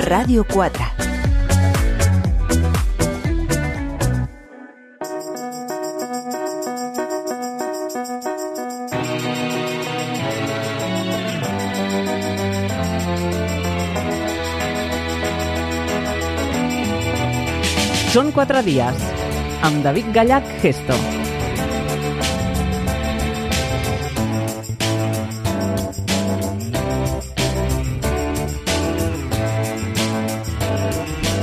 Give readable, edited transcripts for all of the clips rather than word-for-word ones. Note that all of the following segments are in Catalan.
Ràdio 4. Són 4 dies, amb David Gallach Gesto.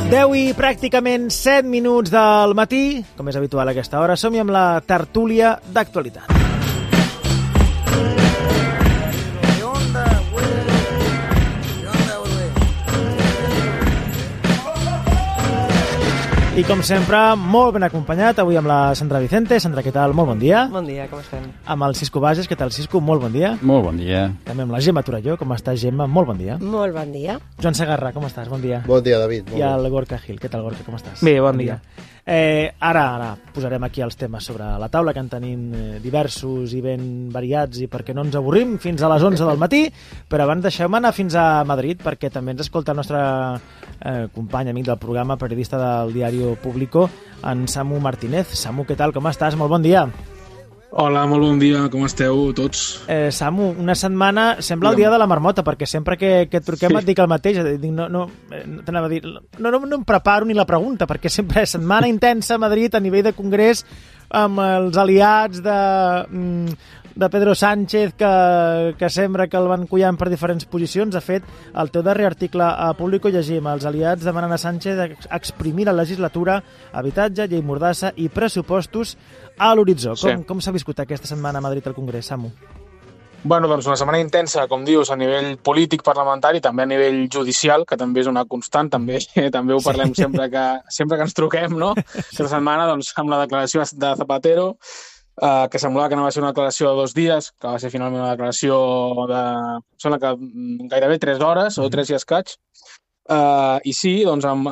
Deu i pràcticament 7 minuts del matí, com és habitual a aquesta hora, som-hi amb la tertúlia d'actualitat. I com sempre, molt ben acompanyat, avui amb la Sandra Vicente. Sandra, què tal? Molt bon dia. Bon dia, com estem? Amb el Cisco Bages, què tal, Cisco? Molt bon dia. Molt bon dia. També amb la Gemma Torelló, com estàs, Gemma? Molt bon dia. Molt bon dia. Joan Segarra, com estàs? Bon dia. Bon dia, David. I el Gorka Gil, què tal, Gorka? Com estàs? Bé, bon dia. Ara posarem aquí els temes sobre la taula, que en tenim diversos i ben variats, i perquè no ens avorrim fins a les 11 del matí, però abans deixeu-me anar fins a Madrid, perquè també ens escolta el nostre company, amic del programa, periodista del diari Público, en Samu Martínez. Samu, què tal? Com estàs? Molt bon dia. Hola, molt bon dia, com esteu tots? Samu, una setmana sembla el dia de la marmota, perquè sempre que et truquem et dic el mateix, no em preparo ni la pregunta, perquè sempre és setmana intensa a Madrid a nivell de congrés, amb els aliats de Pedro Sánchez, que sembla que el van collant per diferents posicions. De fet, el teu darrer article a Público llegim: els aliats demanen a Sánchez exprimir la legislatura, habitatge, llei mordassa i pressupostos a l'horitzó. Sí. Com s'ha viscut aquesta setmana a Madrid al Congrés, Samu? Bueno, doncs una setmana intensa, com dius, a nivell polític parlamentari, també a nivell judicial, que també és una constant, també ho parlem sempre que ens truquem, no? Aquesta setmana, doncs, amb la declaració de Zapatero, que semblava que no va ser una declaració de 2 dies, que va ser finalment una declaració de, sembla que gairebé 3 hores o 3 i escaig. I sí, doncs, amb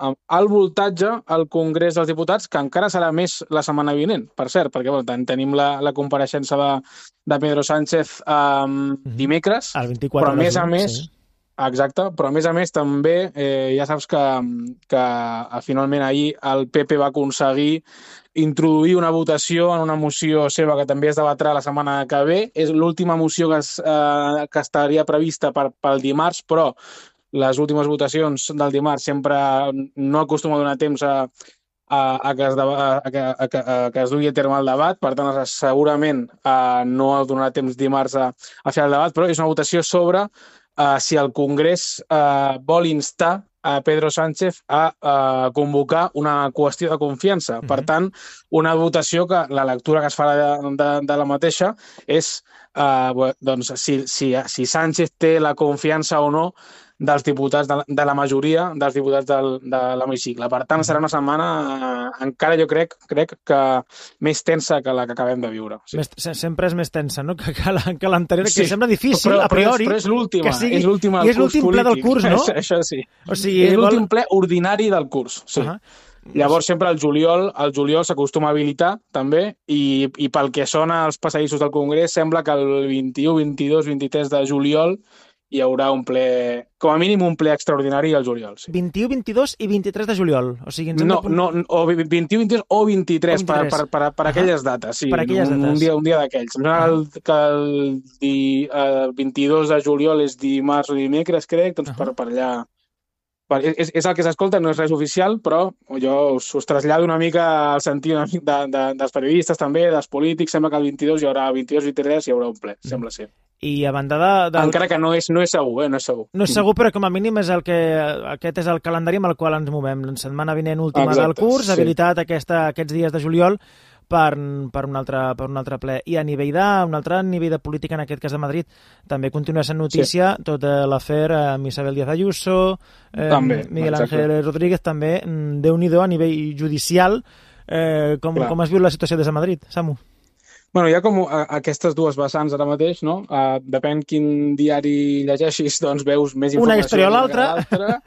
el voltatge al Congrés dels Diputats, que encara serà més la setmana vinent, per cert, perquè tenim la compareixença de Pedro Sánchez dimecres, El 24 però a més a juny, més, sí. Exacte, però a més també, ja saps que finalment ahir el PP va aconseguir introduir una votació en una moció seva que també es debatrà la setmana que ve. És l'última moció que estaria prevista pel dimarts, però les últimes votacions del dimarts sempre no acostuma a donar temps que es dugui a terme el debat, per tant segurament no donarà temps dimarts a fer el debat, però és una votació sobre si el Congrés vol instar a Pedro Sánchez a convocar una qüestió de confiança. Per tant, una votació que la lectura que es farà de la mateixa és doncs, si Sánchez té la confiança o no dels diputats, de la majoria dels diputats de l'hemicicle. Per tant, serà una setmana encara, jo crec que més tensa que la que acabem de viure. Sí. Sempre és més tensa, no?, que l'anterior, que sembla difícil, a priori. Però és l'última, és l'última i és l'últim ple del curs, no? Això sí. O sigui, és l'últim ple ordinari del curs, sí. Llavors, sempre al juliol s'acostuma a habilitar, també, i pel que sona als passadissos del Congrés, sembla que el 21, 22, 23 de juliol hi haurà un ple, com a mínim un ple extraordinari al juliol. Sí. 21, 22 i 23 de juliol. O sigui, o 21, 22 o 23, per aquelles dates. Sí, per aquelles dates. Un dia d'aquells. Em sembla que el 22 de juliol és dimarts o dimecres, crec, doncs per allà. És el que s'escolta, no és res oficial, però jo us trasllado una mica al sentit dels periodistes també, dels polítics. Sembla que el 22 hi haurà, 22-23 hi haurà un ple, sembla ser. I a banda encara que no és segur, no és segur. No és segur, però com a mínim aquest és el calendari amb el qual ens movem. La setmana vinent última del curs, habilitat aquests dies de juliol per un altre ple. I a nivell un altre nivell de política, en aquest cas de Madrid, també continua sent notícia tot l'afer amb Isabel Díaz Ayuso, Miguel Ángel Rodríguez, també, Déu-n'hi-do a nivell judicial. Com has viu la situació des de Madrid, Samu? Bueno, hi ha com aquestes dues vessants ara mateix, no? Depèn quin diari llegeixis, doncs veus més informació. Una història o l'altra.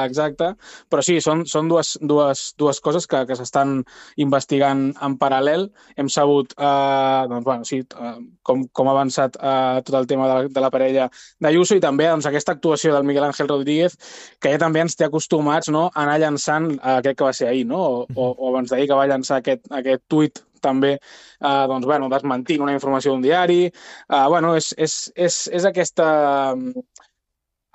exacte, però sí, són dues coses que s'estan investigant en paral·lel. Hem sabut com ha avançat tot el tema de la parella d'Ayuso i també aquesta actuació del Miguel Ángel Rodríguez, que ja també ens té acostumats, no, a anar llançant, crec que va ser ahir, no? o abans d'ahir, que va llançar aquest tuit també desmentint una informació d'un diari. És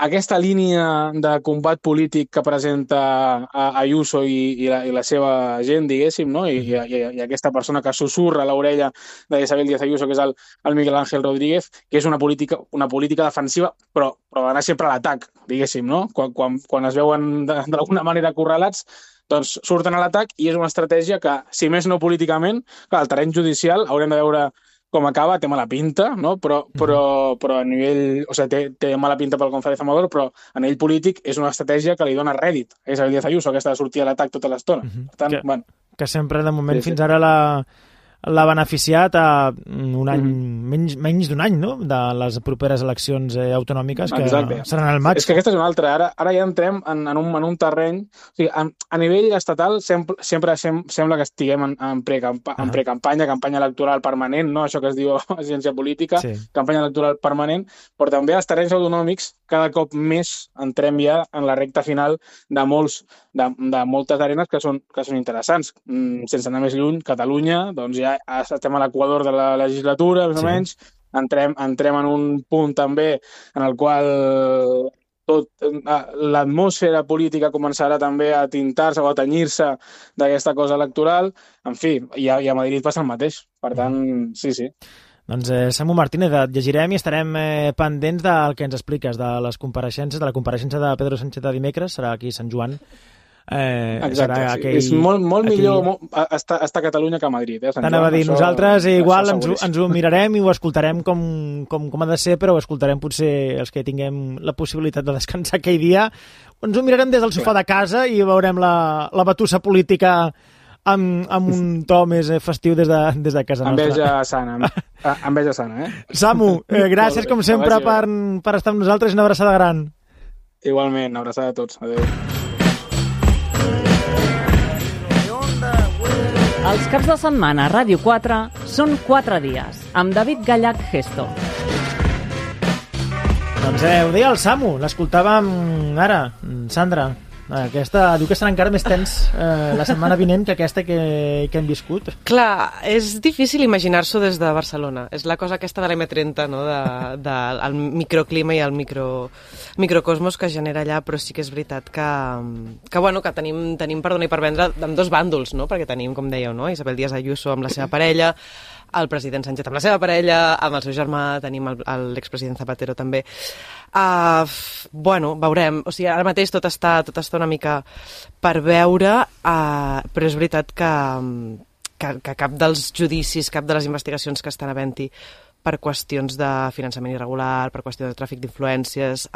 aquesta línia de combat polític que presenta Ayuso i la seva gent, diguéssim, no? I aquesta persona que sussurra a l'orella d'Isabel Díaz Ayuso, que és el Miguel Ángel Rodríguez, que és una política defensiva, però anar sempre a l'atac, diguéssim, no? Quan es veuen d'alguna manera acorralats, doncs surten a l'atac, i és una estratègia que, si més no políticament, clar, el terreny judicial haurem de veure com acaba, té mala pinta, no? Però a nivell... O sigui, té mala pinta pel González Amador, però a nivell polític és una estratègia que li dona rèdit a Isabel Díaz Ayuso, aquesta de sortir a l'atac tota l'estona. Per tant, que sempre, de moment, fins ara l'ha beneficiat a un any, menys d'un any, no?, de les properes eleccions autonòmiques, que seran al maig. És que aquesta és una altra. Ara ja entrem en un terreny... O sigui, a nivell estatal sempre sembla que estiguem en precampanya, campanya electoral permanent, no? Això que es diu agència política, campanya electoral permanent, però també als terrenys autonòmics cada cop més entrem ja en la recta final de moltes arenes que són interessants. Sense anar més lluny, Catalunya, doncs ja estem a l'equador de la legislatura, més o menys. Entrem en un punt també en el qual l'atmosfera política començarà també a tintar-se o a tenyir-se d'aquesta cosa electoral. En fi, i a Madrid passa el mateix. Per tant, sí. Doncs Samu Martínez, et llegirem i estarem pendents del que ens expliques, de les compareixences, de la compareixença de Pedro Sánchez de dimecres, serà aquí a Sant Joan. Exacte, és molt millor estar a Catalunya que a Madrid. T'anava a dir, nosaltres igual ens ho mirarem i ho escoltarem com ha de ser, però ho escoltarem potser els que tinguem la possibilitat de descansar aquell dia. Ens ho mirarem des del sofà de casa i veurem la batussa política amb un to més festiu des de casa nostra. Enveja sana, Samu, gràcies com sempre per estar amb nosaltres i una abraçada gran. Igualment, una abraçada a tots. Adéu. Els caps de setmana a Ràdio 4 són 4 dies, amb David Gallach Gesto. Doncs ho deia el Samu, l'escoltàvem ara, Sandra. Aquesta diu que serà encara més tens la setmana vinent que aquesta que hem viscut. Clar, és difícil imaginar-s'ho des de Barcelona. És la cosa aquesta de l'M30, no? Del microclima i el microcosmos que genera allà, però sí que és veritat que tenim per donar i per vendre amb dos bàndols, no? Perquè tenim, com dèieu, no? Isabel Díaz Ayuso amb la seva parella, el president Sánchez amb la seva parella, amb el seu germà tenim l'expresident Zapatero també. Veurem. O sigui, ara mateix tot està una mica per veure, però és veritat que cap dels judicis, cap de les investigacions que estan havent-hi per qüestions de finançament irregular, per qüestions de tràfic d'influències,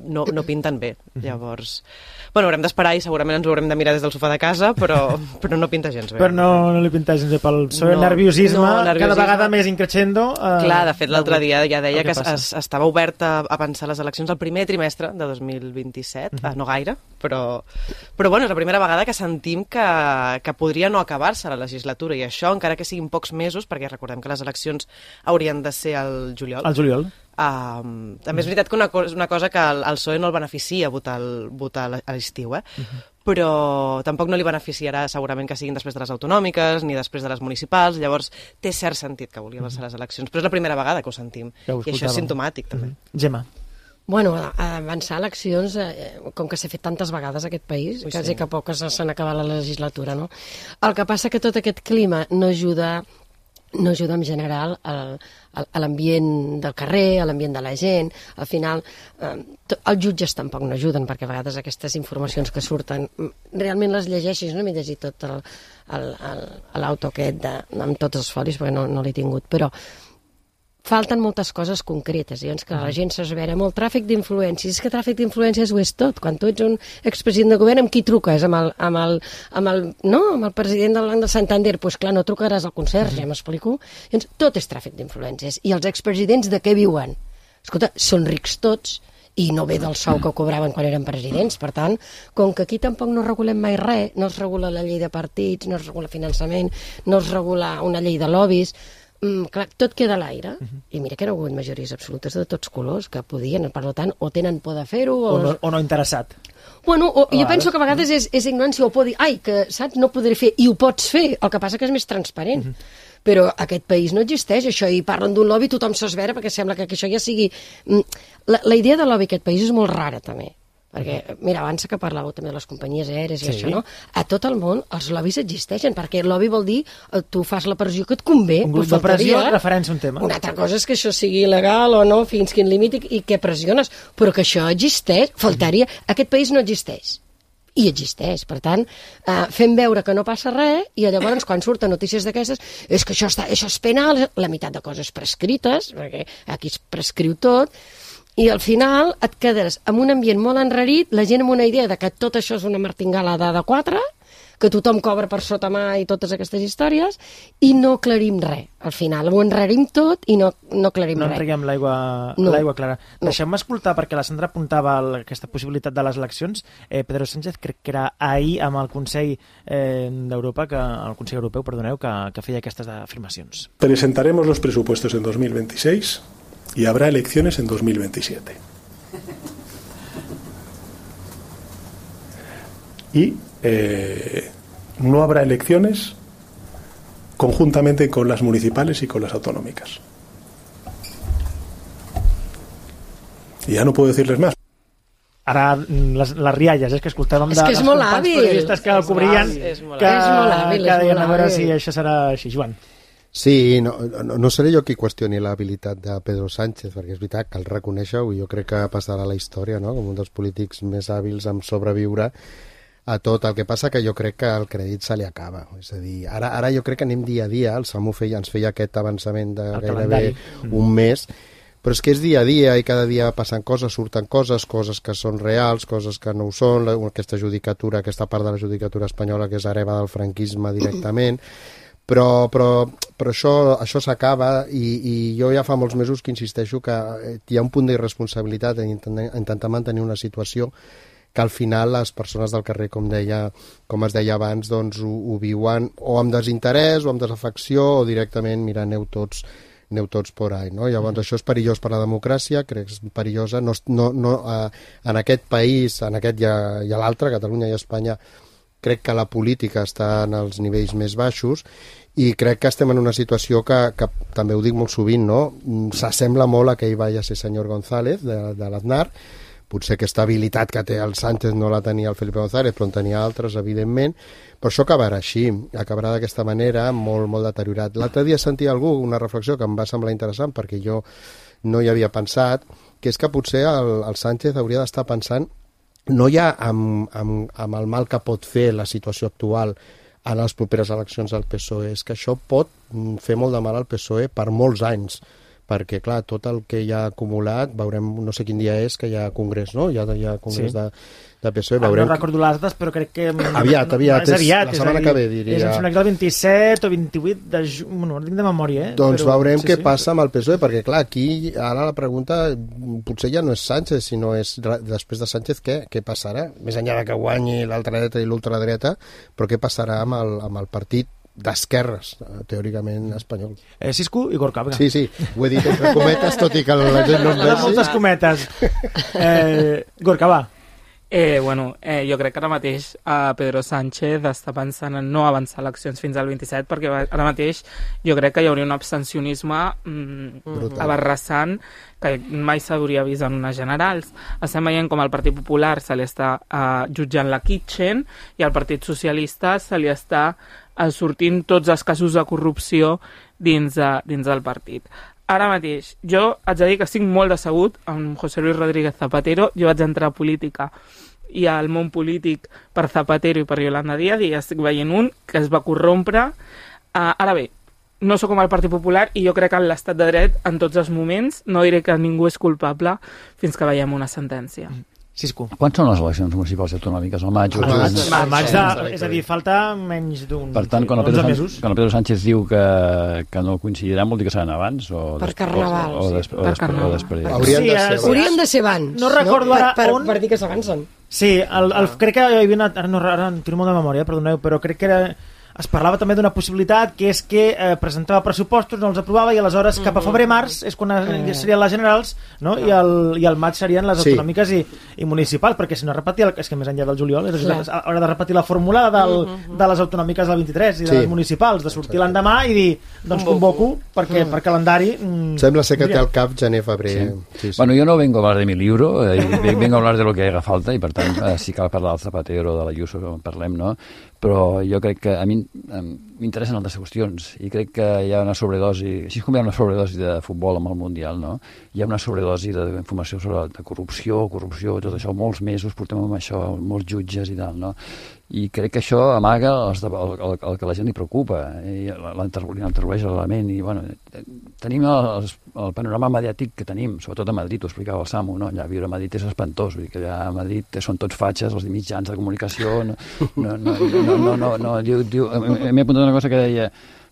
no pinten bé. Llavors, haurem d'esperar i segurament ens ho haurem de mirar des del sofà de casa, però no pinta gens bé. Però no li pinta gens bé pel seu nerviosisme, cada vegada més increixendo. Clar, de fet, l'altre dia ja deia que estava obert a pensar les eleccions al primer trimestre de 2027, no gaire, però és la primera vegada que sentim que podria no acabar-se la legislatura, i això, encara que siguin pocs mesos, perquè recordem que les eleccions haurien de ser al juliol. Al juliol. També és veritat que una cosa que el PSOE no el beneficia votar a l'estiu, però tampoc no li beneficiarà segurament que siguin després de les autonòmiques ni després de les municipals, llavors té cert sentit que vulgui avançar les eleccions, però és la primera vegada que ho sentim, i això és simptomàtic també. Gemma. Bueno, avançar eleccions, com que s'ha fet tantes vegades a aquest país, quasi que poques se n'acaba la legislatura, no? El que passa que tot aquest clima no ajuda en general a l'ambient del carrer, a l'ambient de la gent. Al final, els jutges tampoc no ajuden, perquè a vegades aquestes informacions que surten realment les llegeixes. No m'he llegit tot l'auto aquest amb tots els folis, perquè no l'he tingut, però falten moltes coses concretes, llavors que la gent s'esvera molt. Tràfic d'influències, és que tràfic d'influències ho és tot. Quan tu ets un expresident de govern, amb qui truques? Amb el president del Banc de Santander? Doncs clar, no trucaràs al conserge, m'explico? Llavors, tot és tràfic d'influències. I els expresidents de què viuen? Escolta, són rics tots, i no ve del sou que cobraven quan eren presidents. Per tant, com que aquí tampoc no regulem mai res, no es regula la llei de partits, no es regula finançament, no es regula una llei de lobbies, clar, tot queda a l'aire. I mira que no hi ha hagut majories absolutes de tots colors que podien, per tant, o tenen por de fer-ho o no interessat. Bueno, jo penso que a vegades és ignorància o por dir, ai, que saps, no podré fer, i ho pots fer, el que passa que és més transparent. Però aquest país no existeix, això, i parlen d'un lobby, tothom s'esvera perquè sembla que això ja sigui... La idea de lobby aquest país és molt rara, també. Perquè, mira, abans que parlàveu també de les companyies aèries i això, no? A tot el món els lobbies existeixen, perquè el lobby vol dir tu fas la pressió que et convé. Un grup de pressió referència a un tema. Una altra cosa és que això sigui il·legal o no, fins quin límit i què pressiones, però que això existeix, faltaria. Aquest país no existeix. I existeix, per tant, fem veure que no passa res i llavors quan surten notícies d'aquestes és que això és penal, la meitat de coses prescrites, perquè aquí es prescriu tot, i al final et quedes amb un ambient molt enrarit, la gent amb una idea de que tot això és una martingala de 4, que tothom cobra per sota mà i totes aquestes històries, i no aclarim res. Al final ho enrarim tot i no aclarim res. No entreguem l'aigua clara. Deixem-me escoltar, perquè la Sandra apuntava aquesta possibilitat de les eleccions. Pedro Sánchez, crec que era ahir amb el Consell d'Europa, el Consell Europeu, perdoneu, que feia aquestes afirmacions. Presentaremos los presupuestos en 2026 y habrá elecciones en 2027. Y no habrá elecciones conjuntamente con las municipales y con las autonómicas. Y ya no puedo decirles más. Ara, les rialles, és que escoltàvem de les companys periodistes que el cobrien, que deien a veure si això serà així. Joan. Sí, no seré jo qui qüestioni l'habilitat de Pedro Sánchez, perquè és veritat, cal reconèixer-ho, i jo crec que passarà a la història, no?, com un dels polítics més hàbils en sobreviure a tot. El que passa que jo crec que el crèdit se li acaba. És a dir, ara jo crec que anem dia a dia, el Samu ens feia aquest avançament de gairebé un mes, però és que és dia a dia i cada dia passen coses, surten coses que són reals, coses que no ho són, aquesta judicatura, aquesta part de la judicatura espanyola que és hereva del franquisme directament, però això s'acaba i jo ja fa molts mesos que insisteixo que hi ha un punt d'irresponsabilitat en intentar mantenir una situació que al final les persones del carrer, com es deia abans, doncs ho viuen o amb desinterès o amb desafecció o directament, mira, aneu tots por ahí, no? Llavors això és perillós per la democràcia, crec que és perillosa, en aquest país, en aquest i a l'altre, Catalunya i Espanya, crec que la política està en els nivells més baixos i crec que estem en una situació que també ho dic molt sovint, no? S'assembla molt a que ell vaya a ser senyor González de l'Aznar. Potser aquesta habilitat que té el Sánchez no la tenia el Felipe González, però en tenia altres, evidentment. Però això acabarà així, acabarà d'aquesta manera, molt, molt deteriorat. L'altre dia sentia algú una reflexió que em va semblar interessant, perquè jo no hi havia pensat, que és que potser el Sánchez hauria d'estar pensant no ja amb el mal que pot fer la situació actual en les properes eleccions del PSOE, és que això pot fer molt de mal al PSOE per molts anys, perquè, clar, tot el que hi ha acumulat, veurem, no sé quin dia és, que hi ha congrés, no? Hi ha congrés de PSOE. Veurem no recordo les dates, però crec que... Aviat, és aviat, la setmana que ve, diria. És em sembla que el 27 o 28 de juny, no tinc de memòria, Doncs però, veurem què passa amb el PSOE, perquè, clar, aquí ara la pregunta potser ja no és Sánchez, sinó és després de Sánchez què passarà? Més enllà que guanyi l'altradreta i l'ultradreta, però què passarà amb el partit d'esquerres, teòricament espanyol. Cisco i Gorka. Sí, ho he dit entre cometes, tot i que la gent no em vegi. Moltes cometes. Gorka, va. Jo crec que ara mateix Pedro Sánchez està pensant en no avançar eleccions fins al 27, perquè ara mateix jo crec que hi hauria un abstencionisme aberrassant que mai s'hauria vist en unes generals. Estem veient com el Partit Popular se li està jutjant la Kitchen i al Partit Socialista se li està sortint tots els casos de corrupció dins del partit. Ara mateix, jo haig de dir que estic molt decebut amb José Luis Rodríguez Zapatero. Jo vaig entrar a política i al món polític per Zapatero i per Yolanda Díaz i estic veient un que es va corrompre. Ara bé, no sóc com el Partit Popular i jo crec que en l'estat de dret en tots els moments no diré que ningú és culpable fins que veiem una sentència. Cisco. Quan són les eleccions municipals i autonòmiques? Al maig? Al maig és a dir, falta menys d'un... Per tant, quan el Pedro Sánchez diu que no coincidiran, vol dir que seran abans? Per Carnaval. O després. Haurien de ser abans. No recordo ara on... Per dir que s'avancen. Sí, crec que hi havia una... Ara en tiro molt de memòria, perdoneu, però crec que es parlava també d'una possibilitat, que és que presentava pressupostos, no els aprovava, i aleshores cap a febrer-març és quan serien les generals, no? I al maig serien les autonòmiques i municipals, perquè si no repetia, és que més enllà del juliol haurà de repetir la fórmula de les autonòmiques del 23 i de les municipals, de sortir l'endemà i dir, doncs convoco, perquè per calendari... Sembla ser que té al cap gener-febrer. Bueno, yo no vengo a hablar de mi libro, vengo a hablar de lo que haga falta, i per tant, si cal parlar del Zapatero, de l'Ayuso, parlem, no? Però jo crec que a mi m'interessen altres qüestions i crec que hi ha una sobredosi, així com hi ha una sobredosi de futbol amb el Mundial, no? Hi ha una sobredosi d'informació sobre de corrupció, tot això, molts mesos portem amb això, molts jutges i tal, no? I crec que això amaga el que la gent li preocupa i l'introdueix a l'element i bueno, tenim el panorama mediàtic que tenim, sobretot a Madrid, ho explicava el Samu, no? Allà viure a Madrid és espantós, vull dir que allà a Madrid són tots fatxes, els mitjans de comunicació, m'he apuntat una cosa que deia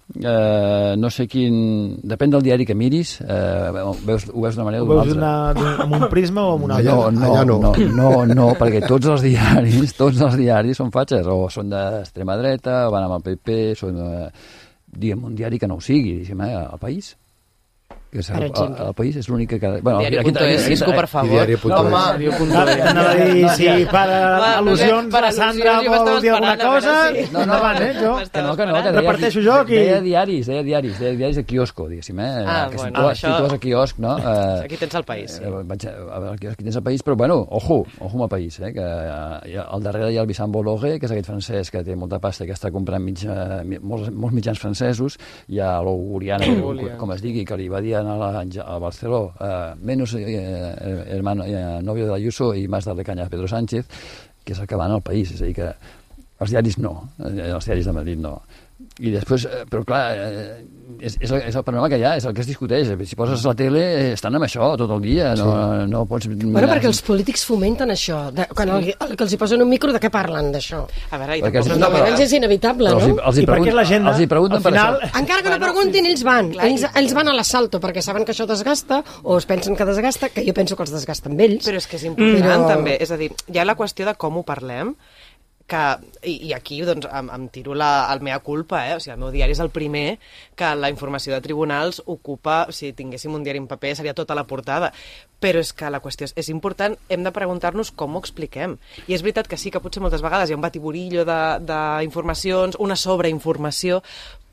no sé quin... Depèn del diari que miris, ho veus d'una manera o d'una altra. Ho veus amb un prisma o amb una altra? No, perquè tots els diaris són fatxes, o són d'extrema dreta, o van amb el PP, són, diguem, un diari que no ho sigui, El País. El País és l'únic que... Diari.es, Cisco, per favor. Anava a dir, si per al·lusions la Sandra vol dir alguna cosa, endavant, jo reparteixo jo aquí. Deia diaris de quiosco, diguéssim, si tu vas a quiosc, no? Aquí tens el País. Vaig a veure, aquí tens el País, però bueno, ojo amb el País, que al darrere hi ha el Vicent Bologue, que és aquest francès que té molta pasta i que està comprant molts mitjans francesos, hi ha l'Ouguriana, com es digui, que li va dir a Barceló, menos hermano, novio de Ayuso i más darle caña a Pedro Sánchez, que és el que va al País, és a dir que els diaris no, els diaris de Madrid no. I després, però clar, és el panorama que hi ha, és el que es discuteix. Si poses la tele, estan amb això tot el dia, no pots... Bueno, perquè els polítics fomenten això. Quan que els hi posen un micro, de què parlen, d'això? A veure, és inevitable, no? I perquè l'agenda, al final... Encara que no preguntin, ells van. Ells van a l'assalto, perquè saben que això desgasta, o es pensen que desgasta, que jo penso que els desgasta amb ells. Però és que és important, també. És a dir, hi ha la qüestió de com ho parlem, i aquí doncs, em tiro el mea culpa, o sigui, el meu diari és el primer que la informació de tribunals ocupa, si tinguéssim un diari en paper seria tota la portada, però és que la qüestió és important, hem de preguntar-nos com ho expliquem, i és veritat que sí que potser moltes vegades hi ha un batiburillo d'informacions, una sobreinformació,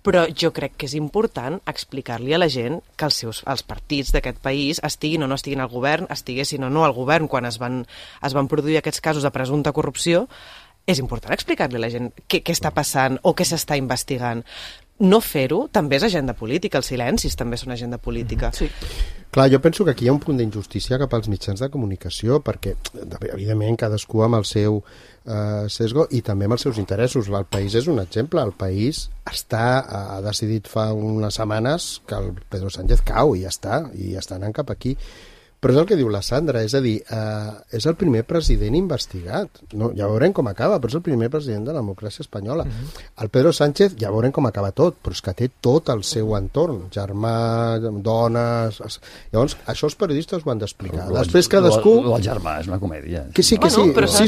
però jo crec que és important explicar-li a la gent que els partits d'aquest país estiguin o no estiguin al govern, estiguessin o no al govern quan es van produir aquests casos de presumpta corrupció. És important explicar-li a la gent què està passant o què s'està investigant. No fer-ho també és agenda política, els silencis també són agenda política. Sí. Clar, jo penso que aquí hi ha un punt d'injustícia cap als mitjans de comunicació, perquè, evidentment, cadascú amb el seu sesgo i també amb els seus interessos. El País és un exemple. El País ha decidit fa unes setmanes que el Pedro Sánchez cau i ja està anant cap aquí. Però és el que diu la Sandra, és a dir, és el primer president investigat. No, ja veurem com acaba, però és el primer president de la democràcia espanyola. El Pedro Sánchez, ja veurem com acaba tot, però és que té tot el seu entorn, germà, dones... Llavors, això els periodistes ho han d'explicar. Després cadascú... El germà és una comèdia. Que sí, però s'ha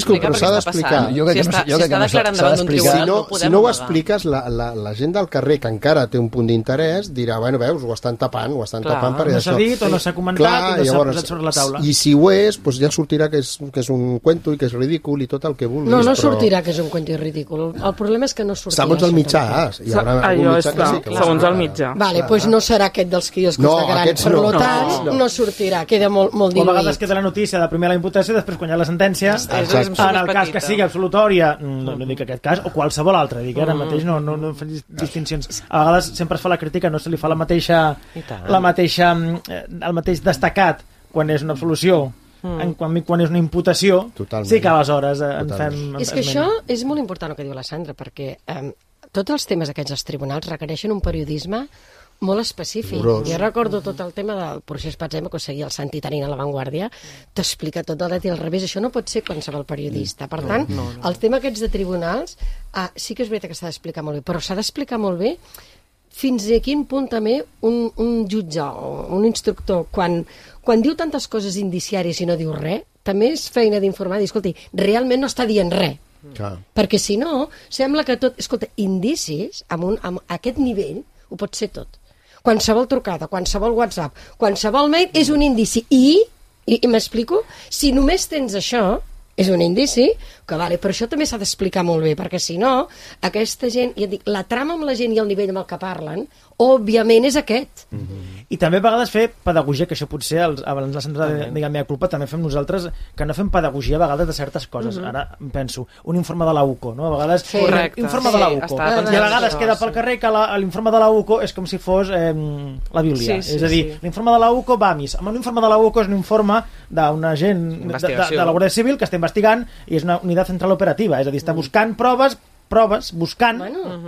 d'explicar. Si està declarant davant d'un tribunal, no podem... Si no ho expliques, la gent del carrer, que encara té un punt d'interès, dirà, bueno, veus, ho estan tapant perquè no s'ha dit o no s'ha comentat i no s'ha posat sobre la taula. I si ho és, doncs ja sortirà que és un cuento i que és ridícul i tot el que vulguis. No sortirà que és un cuento i ridícul. El problema és que no sortirà. Segons el mitjà, hi haurà algun mitjà que sí. Segons el mitjà. Vale, doncs no serà aquest dels quioscos de gran. Per tant, no sortirà. Queda molt diluït. O a vegades queda la notícia de primer la imputació, després quan hi ha la sentència, en el cas que sigui absolutòria, no dic aquest cas, o qualsevol altre, dic ara mateix no fem distincions. A vegades sempre es fa la crítica, no se li fa el mateix destacat quan és una absolució, quan és una imputació. Totalment. Sí que aleshores en fem... És que això és molt important el que diu la Sandra, perquè tots els temes aquests dels tribunals requereixen un periodisme molt específic. Jo recordo tot el tema del procés Patzema, que ho seguia el Santi Tarín a La Vanguardia, t'explica tot de dret i al revés. Això no pot ser qualsevol periodista. Per tant, el tema aquests de tribunals, sí que és veritat que s'ha d'explicar molt bé, però s'ha d'explicar molt bé fins a quin punt també un jutge o un instructor, quan diu tantes coses indiciàries i no diu res, també és feina d'informar, dir, escolti, realment no està dient res. Perquè si no, sembla que tot... Escolta, indicis, amb aquest nivell, ho pot ser tot. Qualsevol trucada, qualsevol WhatsApp, qualsevol mail és un indici. I m'explico? Si només tens això, és un indici, que vale, però això també s'ha d'explicar molt bé, perquè si no, aquesta gent, ja dic, la trama amb la gent i el nivell amb el que parlen, òbviament és aquest. I també a vegades fer pedagogia, que això potser, abans la Sandra digui meva culpa, també fem nosaltres, que no fem pedagogia a vegades de certes coses. Ara penso, un informe de la UCO, no? A vegades, informe de la UCO. I a vegades queda pel carrer que l'informe de la UCO és com si fos la Bíblia. És a dir, l'informe de la UCO va a missa. Amb l'informe de la UCO és un informe d'un agent de la Guàrdia Civil que està investigant i és una unitat central operativa. És a dir, està buscant proves, buscant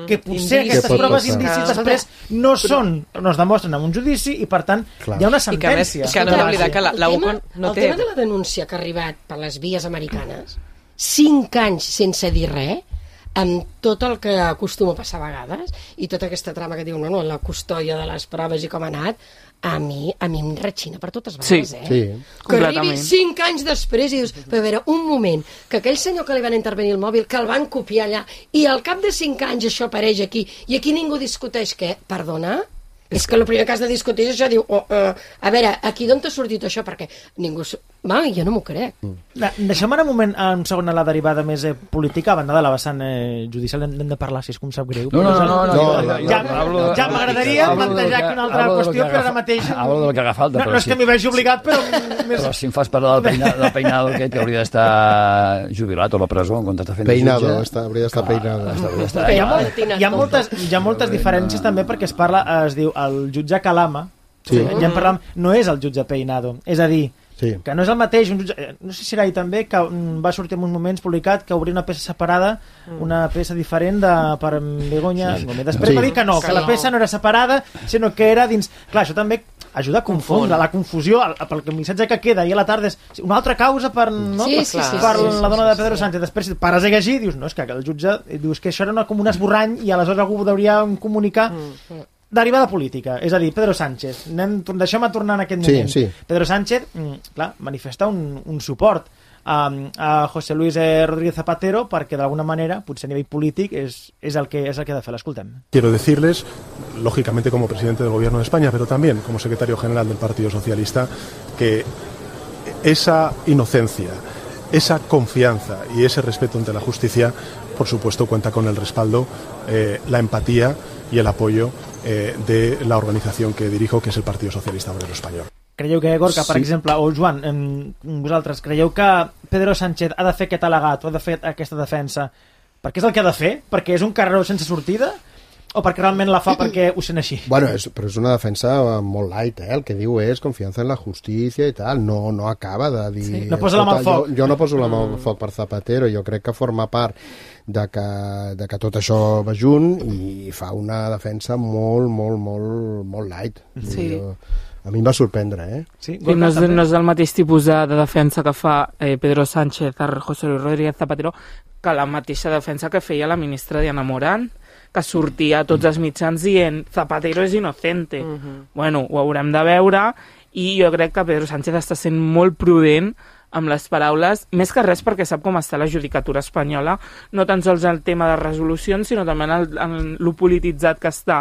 que potser aquestes proves indicis després no es demostren en un judici i per tant hi ha una sentència. I que no hem d'oblidar que la UCO no té... El tema de la denúncia que ha arribat per les vies americanes, 5 anys sense dir res, amb tot el que acostuma a passar a vegades i tota aquesta trama que diu la custòdia de les proves i com ha anat, a mi em retxina per totes vegades, que arribi 5 anys després i dius, però a veure, un moment, que aquell senyor que li van intervenir el mòbil, que el van copiar allà, i al cap de 5 anys això apareix aquí, i aquí ningú discuteix què? Perdona? És que el primer que has de discutir és això, diu, a veure, aquí d'on t'ha sortit això? Perquè ningú... jo no m'ho crec. Deixem ara un moment, un segon, a la derivada més política, a banda de la vessant judicial, n'hem de parlar, si és com sap greu. No. Ja m'agradaria plantejar una altra qüestió, però ara mateix... Hablo del que haga falta. No és que m'hi vegi obligat, però... Però si em fas parlar del peinado aquest, que hauria d'estar jubilat o a la presó en comptes de fer peinado, hauria d'estar peinado. Hi ha moltes diferències també perquè es parla, es diu, el jutge Calama, ja en parlem, no és el jutge Peinado, és a dir, que no és el mateix, un jutge, no sé si era ahir també, que va sortir en uns moments publicat que obria una peça separada, una peça diferent per Begoña Gómez. Després va dir que no, que la peça no era separada, sinó que era dins... Clar, això també ajuda a confondre, la confusió, pel missatge que queda, i a la tarda és una altra causa per la dona de Pedro Sánchez. Després, si pares a llegir, dius, no, és que el jutge dius que això era com un esborrany i aleshores algú hauria comunicar derivada política, és a dir, Pedro Sánchez. Deixem-me tornar en aquest moment. Pedro Sánchez, clar, manifesta un suport a José Luis Rodríguez Zapatero perquè d'alguna manera, potser a nivell polític, és el que ha de fer. L'escoltem. Quiero decirles, lógicamente como presidente del Gobierno de España, pero también como secretario general del Partido Socialista, que esa inocencia, esa confianza y ese respeto ante la justicia, por supuesto, cuenta con el respaldo, la empatía y el apoyo de la organización que dirijo, que es el Partido Socialista Obrero Español. Creieu que, Gorka, per exemple, o Joan, vosaltres, creieu que Pedro Sánchez ha de fer aquest al·legat o ha de fer aquesta defensa perquè és el que ha de fer? Perquè és un carreró sense sortida? O perquè realment la fa perquè ho sent així? Bueno, però és una defensa molt light, el que diu és confiança en la justícia i tal, no acaba de dir... No posa la mà al foc. Jo no poso la mà al foc per Zapatero, jo crec que forma part de que tot això va junt i fa una defensa molt light. Sí. A mi em va sorprendre, Sí, no és el mateix tipus de defensa que fa Pedro Sánchez a José Luis Rodríguez Zapatero que la mateixa defensa que feia la ministra Diana Morant, que sortia a tots els mitjans dient Zapatero és inocente. Bueno, ho haurem de veure i jo crec que Pedro Sánchez està sent molt prudent amb les paraules, més que res perquè sap com està la judicatura espanyola, no tan sols el tema de resolucions, sinó també en lo polititzat que està.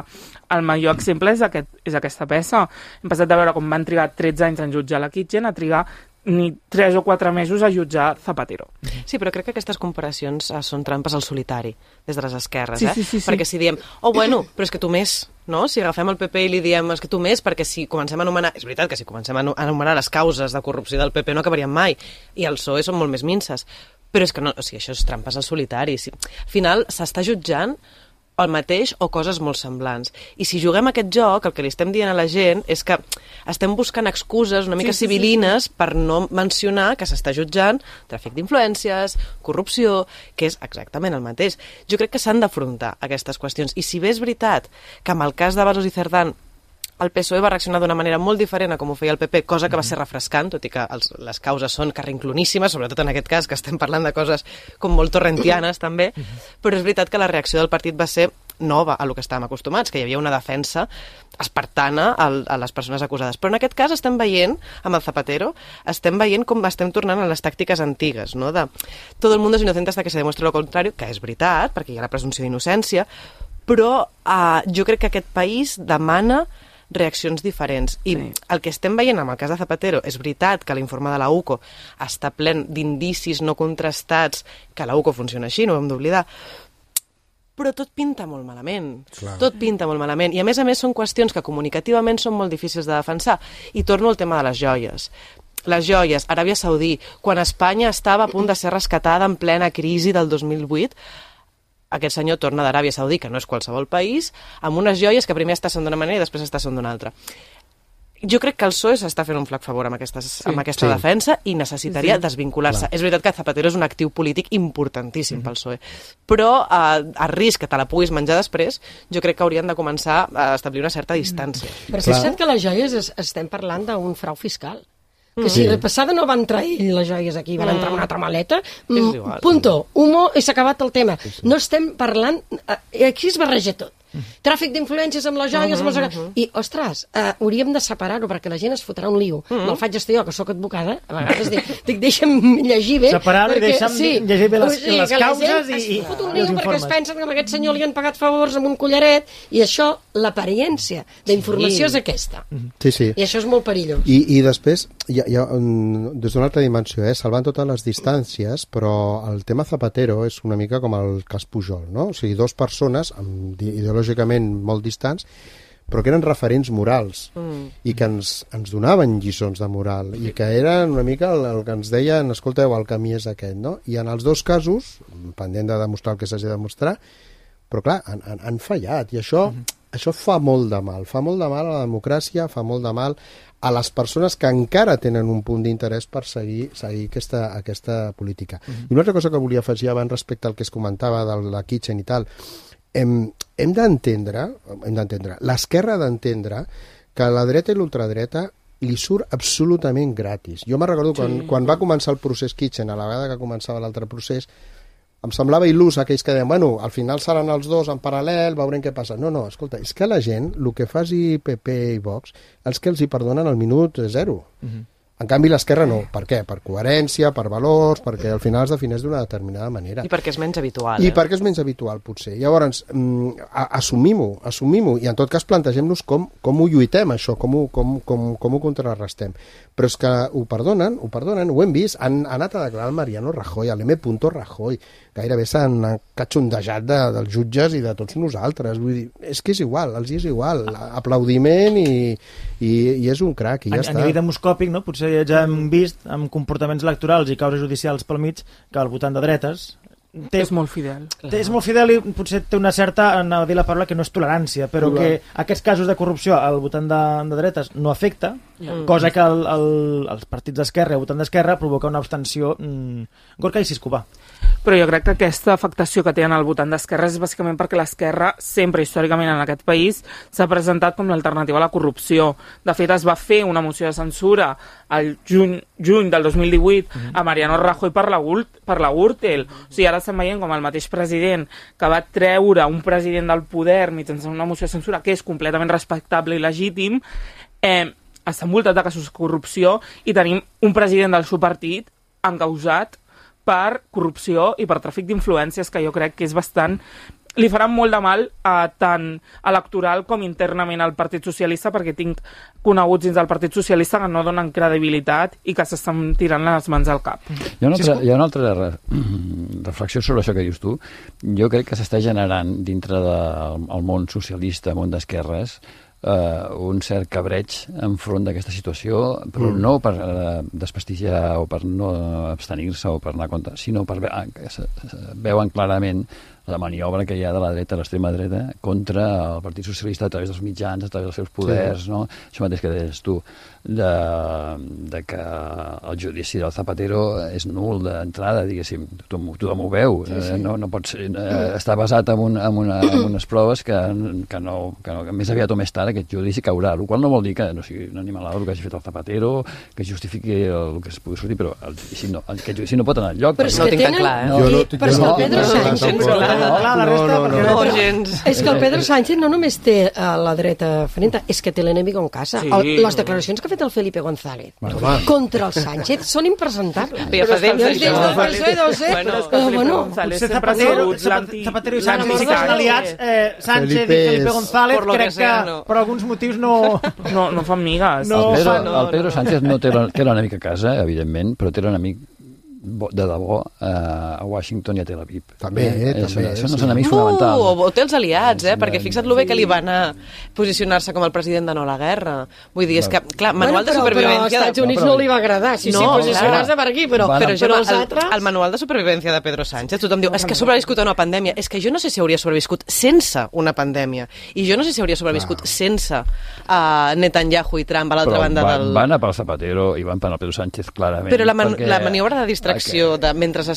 El millor exemple és aquesta peça. Hem passat de veure com van trigar 13 anys en jutjar la Kitchen a trigar ni 3 o 4 mesos a jutjar Zapatero. Sí, però crec que aquestes comparacions són trampes al solitari, des de les esquerres, Sí. Perquè si diem, bueno, però és que tu més, no? Si agafem el PP i li diem, és que tu més, perquè si comencem a anomenar... És veritat que si comencem a anomenar les causes de corrupció del PP no acabaríem mai, i el PSOE són molt més minces. Però és que no, o sigui, això és trampes al solitari. Al final s'està jutjant el mateix o coses molt semblants. I si juguem a aquest joc, el que li estem dient a la gent és que estem buscant excuses una mica civilines per no mencionar que s'està jutjant tràfic d'influències, corrupció, que és exactament el mateix. Jo crec que s'han d'afrontar aquestes qüestions. I si bé és veritat que amb el cas de Vasos i Cerdán el PSOE va reaccionar d'una manera molt diferent a com ho feia el PP, cosa que va ser refrescant, tot i que les causes són carrincloníssimes, sobretot en aquest cas, que estem parlant de coses com molt torrentianes també, però és veritat que la reacció del partit va ser nova a lo que estàvem acostumats, que hi havia una defensa espartana a les persones acusades. Però en aquest cas estem veient, amb el Zapatero, estem veient com estem tornant a les tàctiques antigues, no? De todo el mundo es inocente hasta que se demuestre lo contrario, que és veritat, perquè hi ha la presumpció d'innocència, però jo crec que aquest país demana reaccions diferents. I el que estem veient amb el cas de Zapatero, és veritat que l'informe de la UCO està plen d'indicis no contrastats, que la UCO funciona així, no ho hem d'oblidar, però tot pinta molt malament. Clar. Tot pinta molt malament. I a més són qüestions que comunicativament són molt difícils de defensar. I torno al tema de les joies. Les joies, Aràbia Saudí, quan Espanya estava a punt de ser rescatada en plena crisi del 2008, aquest senyor torna d'Aràbia Saudí, que no és qualsevol país, amb unes joies que primer està sent d'una manera i després està sent d'una altra. Jo crec que el PSOE s'està fent un flac favor amb aquesta defensa i necessitaria desvincular-se. És veritat que Zapatero és un actiu polític importantíssim pel PSOE, però a risc que te la puguis menjar després, jo crec que haurien de començar a establir una certa distància. Però fixa't que les joies estem parlant d'un frau fiscal. Que si la passada no van trair les joies aquí, van entrar en una altra maleta, punto, humo, i s'ha acabat el tema. No estem parlant... Aquí es barreja tot. Tràfic d'influències amb les joies, i, ostres, hauríem de separar-ho perquè la gent es fotrà un lío. Me'l faig estar jo, que sóc advocada, a vegades dic, deixa'm llegir bé. Separar-ho i deixa'm llegir bé les causes i es fot un lío perquè es pensen que a aquest senyor li han pagat favors amb un collaret, i això, l'apariència d'informació és aquesta. Sí. I això és molt perillós. I després, des d'una altra dimensió, salvant totes les distàncies, però el tema Zapatero és una mica com el cas Pujol, no? O sigui, dues persones ideològicament molt distants, però que eren referents morals i que ens donaven lliçons de moral i que eren una mica el que ens deien, escolteu, el camí és aquest, no? I en els dos casos, pendent de demostrar el que s'hagi de demostrar, però clar, han fallat, i això fa molt de mal a la democràcia, fa molt de mal a les persones que encara tenen un punt d'interès per seguir aquesta política. I una altra cosa que volia afegir abans respecte al que es comentava de la Kitchen i tal, hem d'entendre, l'esquerra ha d'entendre que la dreta i l'ultradreta li surt absolutament gratis. Jo me'n recordo quan va començar el procés Kitchen, a la vegada que començava l'altre procés, em semblava il·lus aquells que deien, bueno, al final seran els dos en paral·lel, veurem què passa. No, escolta, és que la gent, el que faci PP i Vox, els que els hi perdonen al minut 0. En canvi, l'esquerra no. Per què? Per coherència, per valors, perquè al final es defineix d'una determinada manera. I perquè és menys habitual. I perquè és menys habitual, potser. Llavors, assumim-ho, i en tot cas plantegem-nos com ho lluitem, això, com ho contrarrestem. Però és que ho perdonen, ho hem vist. Han anat a declarar el Mariano Rajoy, l'M. Rajoy. Gairebé s'han catxondejat dels jutges i de tots nosaltres. Vull dir, és que és igual, els és igual. Aplaudiment i és un crac, i ja està. A nivell demoscòpic, no? Potser ja hem vist amb comportaments electorals i causes judicials pel mig que el votant de dretes és molt fidel. És molt fidel i potser té una certa, anava a dir la paraula, que no és tolerància, però que aquests casos de corrupció al votant de dretes no afecta, cosa que els partits d'esquerra i el votant d'esquerra provoca una abstenció Gorka i Siscovà. Però jo crec que aquesta afectació que tenen al votant d'esquerra és bàsicament perquè l'esquerra sempre històricament en aquest país s'ha presentat com l'alternativa a la corrupció. De fet, es va fer una moció de censura al juny del 2018 a Mariano Rajoy per la Gürtel. O sigui, ara estem veient com el mateix president que va treure un president del poder mitjançant una moció de censura que és completament respectable i legítim, està envoltat de casos de corrupció i tenim un president del seu partit encausat per corrupció i per tràfic d'influències, que jo crec que és bastant... Li faran molt de mal tant electoral com internament al Partit Socialista, perquè tinc coneguts dins del Partit Socialista que no donen credibilitat i que s'estan tirant les mans al cap. Hi ha una altra reflexió sobre això que dius tu. Jo crec que s'està generant dintre del món socialista, món d'esquerres, un cert cabreig enfront d'aquesta situació, però no per desprestigiar o per no abstenir-se o per anar a compte, sinó per que veuen clarament la maniobra que hi ha de la dreta, l'extrema dreta, contra el Partit Socialista a través dels mitjans, a través dels seus poders, no? Això mateix que deies tu, de que el judici del Zapatero és nul d'entrada, diguéssim, tothom ho veu, no pot ser, està basat en unes proves que més aviat o més tard aquest judici caurà, el qual no vol dir que no sigui un animalado el que hagi fet el Zapatero, que justifiqui el que es pugui sortir, però aquest judici no pot anar enlloc. Però és que és que el Pedro Sánchez no només té la dreta frente, és que té l'enemigo en casa. Les declaracions que ha fet el Felipe González contra el Sánchez són impresentables. Zapatero i Sánchez són aliats. Sánchez i Felipe González crec que per alguns motius no fan migues. El Pedro Sánchez no té l'enemic a casa, evidentment, però té l'enemic de debò a Washington i a Tel Aviv. També. Són els enemics fonamentals. O té els aliats, perquè fixa't lo bé que li va anar posicionar-se com el president de no a la guerra. Vull dir, és que, clar, manual de supervivència... Però als Estats Units no li va agradar, si posicionar-se per aquí, però els altres... El manual de supervivència de Pedro Sánchez, tothom diu, és que ha sobreviscut a una pandèmia. És que jo no sé si hauria sobreviscut sense una pandèmia. I jo no sé si hauria sobreviscut sense Netanyahu i Trump a l'altra banda del... Van a pel Zapatero i van per al Pedro Sánchez, clarament. Però la maniobra de distracció mentre se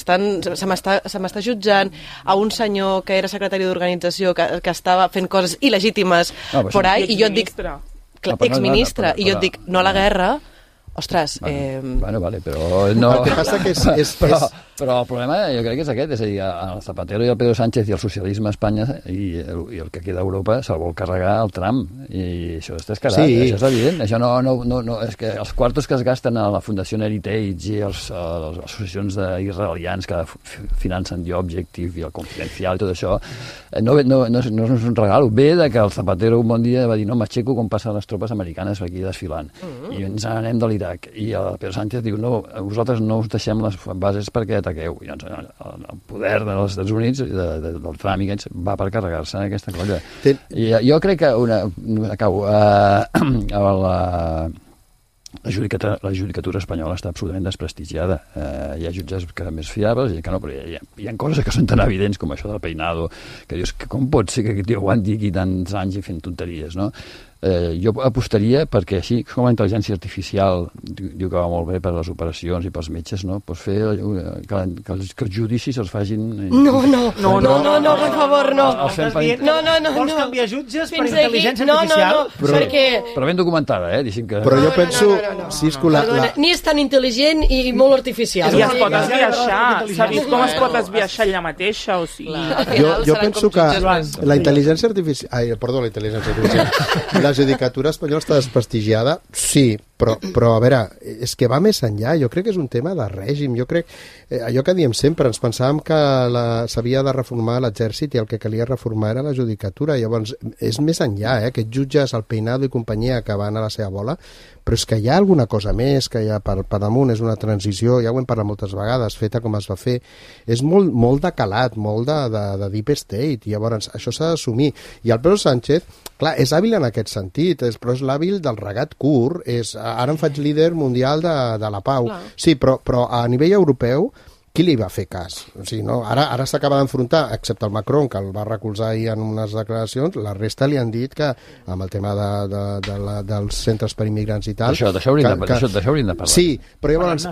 m'està jutjant a un senyor que era secretari d'organització que estava fent coses il·legítimes por ahí, i jo et dic exministre, i jo et dic no a la guerra. Ostres... Vale, però no... El que passa que és... Però el problema jo crec que és aquest, és a dir, el Zapatero i el Pedro Sánchez i el socialisme a Espanya i el que queda a Europa se'l vol carregar el tram, i això està escarat, això és evident, això no, és que els quartos que es gasten a la Fundació Heritage i les associacions d'israelians que financen The Objective i el Confidencial i tot això, no és un regal, ve de que el Zapatero un bon dia va dir no, m'aixeco com passen les tropes americanes aquí desfilant, i ens anem de l'Iraq, i el Pedro Sánchez diu no, vosaltres no us deixem les bases perquè ataqueu, i doncs el poder dels Estats Units del Trump va per carregar-se aquesta colla. I jo crec que la judicatura espanyola està absolutament desprestigiada. Hi ha jutges més fiables i que no, però hi ha coses que són tan evidents com això del peinado, que dius, com pot ser que aquest tio aguanti aquí tants anys i fent tonteries, no? Jo apostaria perquè així com la intel·ligència artificial diu que va molt bé per a les operacions i pels metges, no? Pues fer que els judicis els facin... No, per favor, no. Vols canviar jutges per intel·ligència artificial? Però ben documentada, diguéssim que... Però jo penso... Ni és tan intel·ligent i molt artificial. I es pot esbiaixar. S'ha vist com es pot esbiaixar ella mateixa, o sigui... Jo penso que la intel·ligència artificial... Perdó, la intel·ligència artificial... La judicatura espanyola està desprestigiada, sí, però a veure, és que va més enllà, jo crec que és un tema de règim, jo crec, allò que diem sempre, ens pensàvem que s'havia de reformar l'exèrcit i el que calia reformar era la judicatura, llavors és més enllà, aquests jutges, el Peinado i companyia que van a la seva bola, però és que hi ha alguna cosa més, que ja per damunt és una transició, ja ho hem parlat moltes vegades, feta com es va fer, és molt de calat, molt de deep state, i llavors això s'ha d'assumir, i el Pedro Sánchez, clar, és hàbil en aquest sentit, però és l'hàbil del regat curt, ara em faig líder mundial de la pau, sí, però a nivell europeu qui li va fer cas? O sigui, no? Ara s'acaba d'enfrontar, excepte el Macron, que el va recolzar ahir en unes declaracions, la resta li han dit que, amb el tema dels centres per immigrants i tal... D'això hauríem de parlar. Sí, però llavors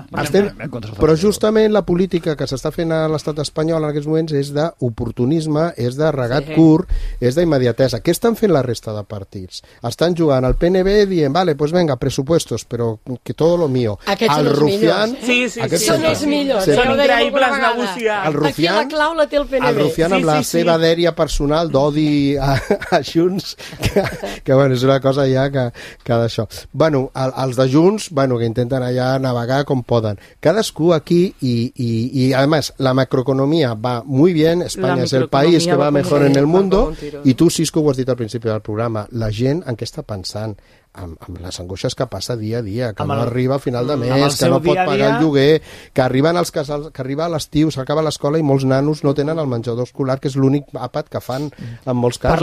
però justament la política que s'està fent a l'estat espanyol en aquests moments és d'oportunisme, és de regat curt, és d'immediatesa. Què estan fent la resta de partits? Estan jugant al PNB dient, vale, pues venga, presupuestos, però que todo lo mío. Aquests són els millors. Sí, són els millors. increïbles negociar. Aquí la clau la té el PNB. El Rufián amb la seva dèria personal d'odi a Junts, que bueno, és una cosa ja que d'això. Bueno, els de Junts, bueno, que intenten allà navegar com poden. Cadascú aquí y además la macroeconomía va muy bien, España es el país que va mejor en el mundo, i tu, Cisco, ho has dit al principi del programa, la gent en què està pensant? Amb les angoixes que passa dia a dia, que no arriba a final de mes, que no pot pagar el lloguer, que arriben els casals, que arriba a l'estiu, s'acaba l'escola i molts nanos no tenen el menjador escolar, que és l'únic àpat que fan en molts casos.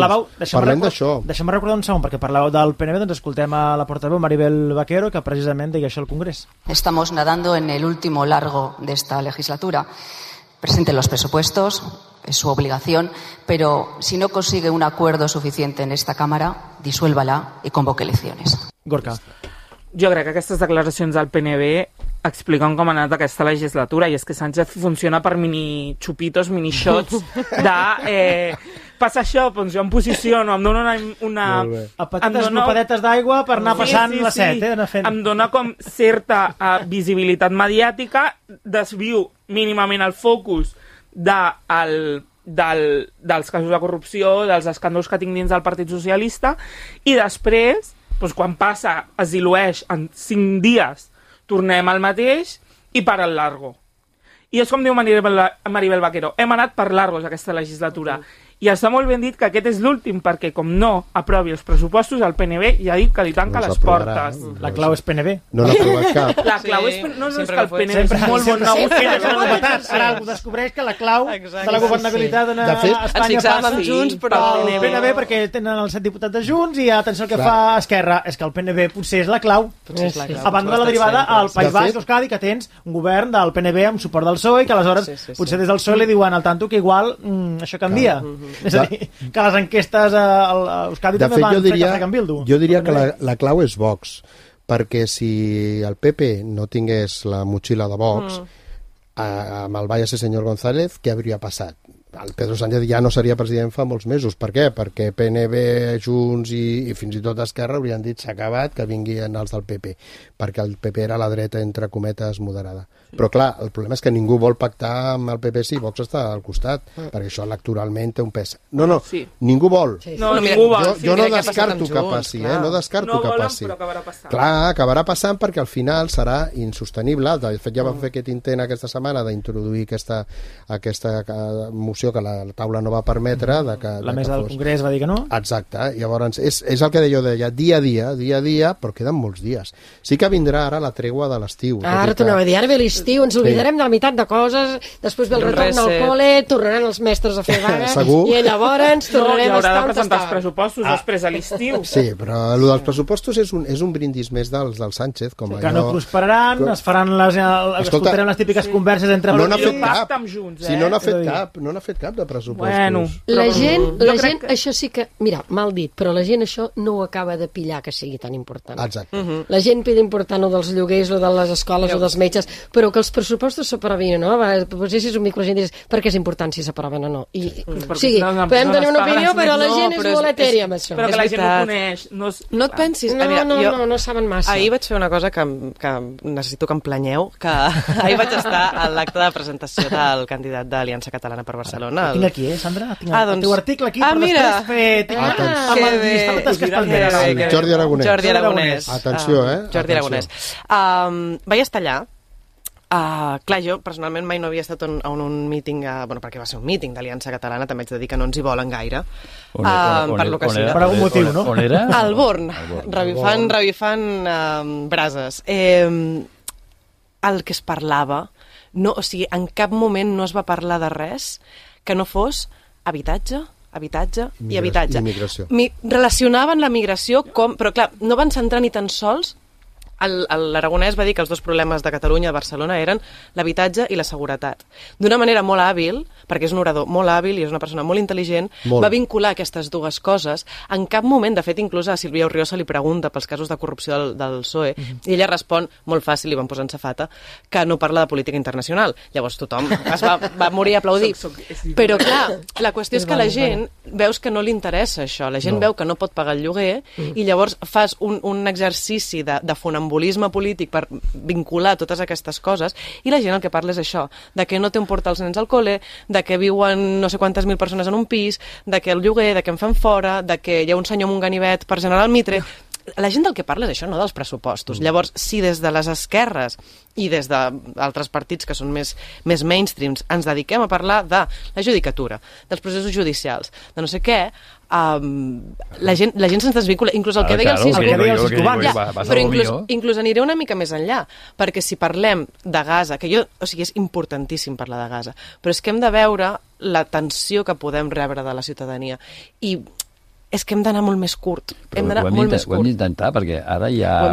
Parlem d'això. Deixa'm recordar un segon, perquè parlàveu del PNB, doncs escoltem a la portaveu Maribel Vaquero, que precisament deia això al Congrés. Estamos nadando en el último largo de esta legislatura. Presenten los presupuestos, es su obligación, pero si no consigue un acuerdo suficiente en esta Cámara, disuélvala i convoque elecciones. Gorka. Jo crec que aquestes declaracions del PNB expliquen com ha anat aquesta legislatura, i és que Sánchez funciona per mini xupitos, mini shots de passa això, doncs jo em posiciono, em dona una a petites glopadetes d'aigua per anar passant la set, em dona com certa visibilitat mediàtica, desvio mínimament el focus dels casos de corrupció, dels escàndols que tinc dins del Partit Socialista, i després, doncs quan passa, es dilueix en 5 dies, tornem al mateix i per al largo. I és com diu Maribel Vaquero, hem anat per largos aquesta legislatura. I està molt ben dit que aquest és l'últim, perquè com no aprovi els pressupostos, el PNB ja ha dit que li tanca les portes. La clau és PNB. No n'ha aprovat cap. La clau és... No, és que el PNB és molt bon negociador. Ara algú descobreix que la clau de la governabilitat a Espanya passa Junts, però el PNB, perquè tenen els 7 diputats de Junts, i atenció al que fa Esquerra, és que el PNB potser és la clau. A banda de la derivada al País Basc, Euskadi, que tens un govern del PNB amb suport del PSOE, que aleshores potser des del PSOE li diuen al tanto que igual això canvia. És a dir, que les enquestes a Euskadi també van fer en Bildu. Jo diria que la clau és Vox, perquè si el PP no tingués la motxilla de Vox, amb el Váyase senyor González, què hauria passat? El Pedro Sánchez ja no seria president fa molts mesos. Per què? Perquè PNB, Junts i fins i tot Esquerra haurien dit s'ha acabat, que vinguin els del PP, perquè el PP era la dreta, entre cometes, moderada. Però clar, el problema és que ningú vol pactar amb el PP si Vox està al costat, perquè això electoralment té un pes. No, ningú vol. Jo no descarto que passi, no descarto que passi. Però acabarà passant. Clar, acabarà passant perquè al final serà insostenible. De fet, ja vam fer aquest intent aquesta setmana d'introduir aquesta moció que la taula no va permetre. La mesa del Congrés va dir que no? Exacte. Llavors, és el que jo deia, dia a dia, però queden molts dies. Sí que vindrà ara la tregua de l'estiu. Ara tornava a dir, ara ve l'estiu, ens oblidarem de la meitat de coses, després ve el retorn al col·le, tornaran els mestres a fer vaga, i llavors tornarem a estar on haurà de presentar els pressupostos després a l'estiu. Sí, però el dels pressupostos és un brindis més del Sánchez. Que no prosperaran, es faran escoltarem les típiques converses entre... No n'ha fet cap. Si no n'ha fet cap de pressupostos. La gent, això sí que... Mira, mal dit, però la gent això no ho acaba de pillar que sigui tan important. Exacte. La gent pida important o dels lloguers o de les escoles o dels metges, però que els pressupostos s'aprovin o no, potser si és un mico la gent dius per què és important si s'aproven o no. O sigui, podem tenir una opinió, però la gent és molt etèria amb això. Però que la gent ho coneix. No et pensis... No saben massa. Ahir vaig fer una cosa que necessito que em planyeu, que ahir vaig estar a l'acte de presentació del candidat d'Aliança Catalana per Barcelona. Tinc aquí, Sandra? Tinc el teu article aquí, però després fer... Amb el llistat que es Jordi Aragonès. Atenció, Jordi Aragonès. Vaig estar allà. Clar, jo personalment mai no havia estat en un míting, perquè va ser un míting d'Aliança Catalana, també haig de dir que no ens hi volen gaire, per lo que sigui. Per algun motiu, no? On era? Al Born, revifant brases. El que es parlava, o sigui, en cap moment no es va parlar de res que no fos habitatge i habitatge. Immigració. Relacionaven la migració però clar, no van centrar ni tan sols. L'Aragonès va dir que els dos problemes de Catalunya i Barcelona eren l'habitatge i la seguretat. D'una manera molt hàbil, perquè és un orador molt hàbil i és una persona molt intel·ligent, va vincular aquestes dues coses. En cap moment, de fet, inclús a Sílvia Orriosa li pregunta pels casos de corrupció del PSOE, i ella respon, molt fàcil, li van posar en safata, que no parla de política internacional. Llavors tothom es va morir a aplaudir. Però clar, la qüestió és que la gent veus que no li interessa això. La gent veu que no pot pagar el lloguer i llavors fas un exercici de funambulisme polític per vincular totes aquestes coses, i la gent el que parla és això, de que no té on portar els nens al col·le, de que viuen no sé quantes mil persones en un pis, de que el lloguer, de que en fan fora, de que hi ha un senyor amb un ganivet per General Mitre. La gent del que parla és això, no dels pressupostos. Llavors, si des de les esquerres i des d'altres partits que són més mainstreams ens dediquem a parlar de la judicatura, dels processos judicials, de no sé què, la gent se'ns desvincula, inclús el que deia el Cisco, però inclús aniré una mica més enllà, perquè si parlem de Gaza, és importantíssim parlar de Gaza, però és que hem de veure la tensió que podem rebre de la ciutadania, i és que hem d'anar molt més curt. Ho hem d'intentar, perquè ara hi ha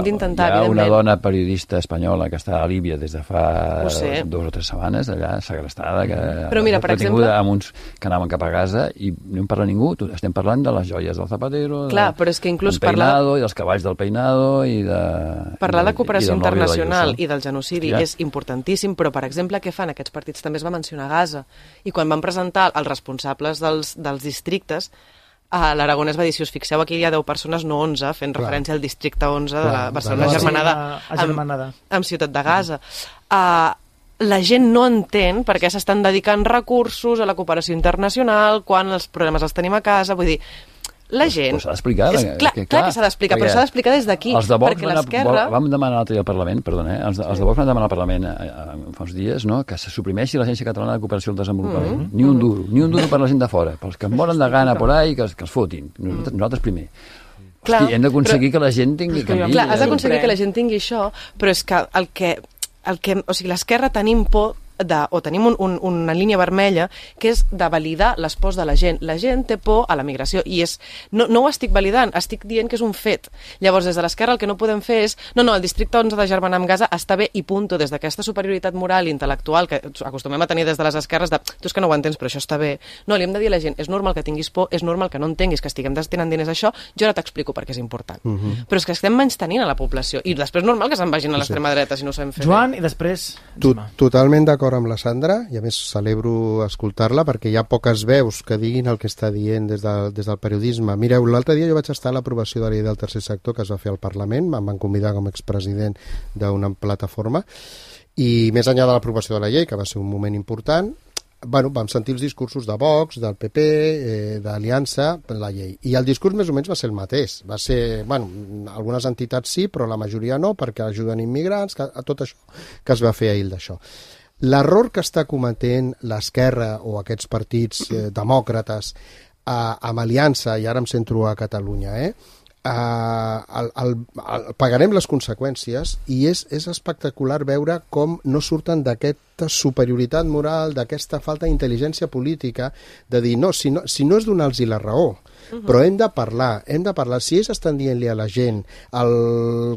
una dona periodista espanyola que està a Líbia des de fa 2 o 3 setmanes, allà, segrestada, que retinguda amb uns que anaven cap a Gaza, i no en parla ningú. Estem parlant de les joies del Zapatero, del peinado, i dels cavalls del peinado, i de... Parlar de cooperació internacional i del genocidi és importantíssim, però, per exemple, què fan aquests partits? També es va mencionar Gaza, i quan van presentar els responsables dels districtes, l'Aragonès va dir, si us fixeu, aquí hi ha 10 persones, no 11, fent referència al districte 11 de la Barcelona germanada amb Ciutat de Gaza. La gent no entén per què s'estan dedicant recursos a la cooperació internacional quan els problemes els tenim a casa, vull dir, la gent... Però s'ha d'explicar. Clar que s'ha d'explicar, però s'ha d'explicar des d'aquí, perquè l'esquerra... Vam demanar l'altre dia al Parlament, els de Vox van demanar al Parlament fa uns dies, que se suprimeixi l'Agència Catalana de Cooperació al Desenvolupament. Ni un duro per la gent de fora, pels que moren de gana por ahí, que els fotin. Nosaltres primer. Hosti, hem d'aconseguir que la gent tingui... Clar, has d'aconseguir que la gent tingui això, però és que o sigui, l'esquerra tenim por o tenim una línia vermella que és de validar les pors de la gent. La gent té por a la migració i no ho estic validant, estic dient que és un fet. Llavors, des de l'esquerra el que no podem fer és el districte 11 de germanar amb Gaza està bé i punto, des d'aquesta superioritat moral i intel·lectual que acostumem a tenir des de les esquerres de tu és que no ho entens, però això està bé. No, li hem de dir a la gent, és normal que tinguis por, és normal que no entenguis que estiguem destinant diners a això, jo ara t'explico per què és important. Però és que estem menystenint a la població i després normal que se'n vagin a l'extrema dreta si no ho sabem fer. Joan, i després... Totalment d'acord amb la Sandra, i a més celebro escoltar-la perquè hi ha poques veus que diguin el que està dient des del periodisme. Mireu, l'altre dia jo vaig estar a l'aprovació de la llei del tercer sector que es va fer al Parlament, em van convidar com a expresident d'una plataforma, i més enllà de l'aprovació de la llei, que va ser un moment important, vam sentir els discursos de Vox, del PP, d'Aliança, per la llei. I el discurs més o menys va ser el mateix. Va ser, algunes entitats sí, però la majoria no, perquè ajuden immigrants, tot això que es va fer ahir d'això. L'error que està cometent l'esquerra o aquests partits demòcrates amb Aliança, i ara em centro a Catalunya, pagarem les conseqüències, i és espectacular veure com no surten d'aquesta superioritat moral, d'aquesta falta d'intel·ligència política, de dir, no, si no és donar-los la raó, però hem de parlar. Si ells estan dient-li a la gent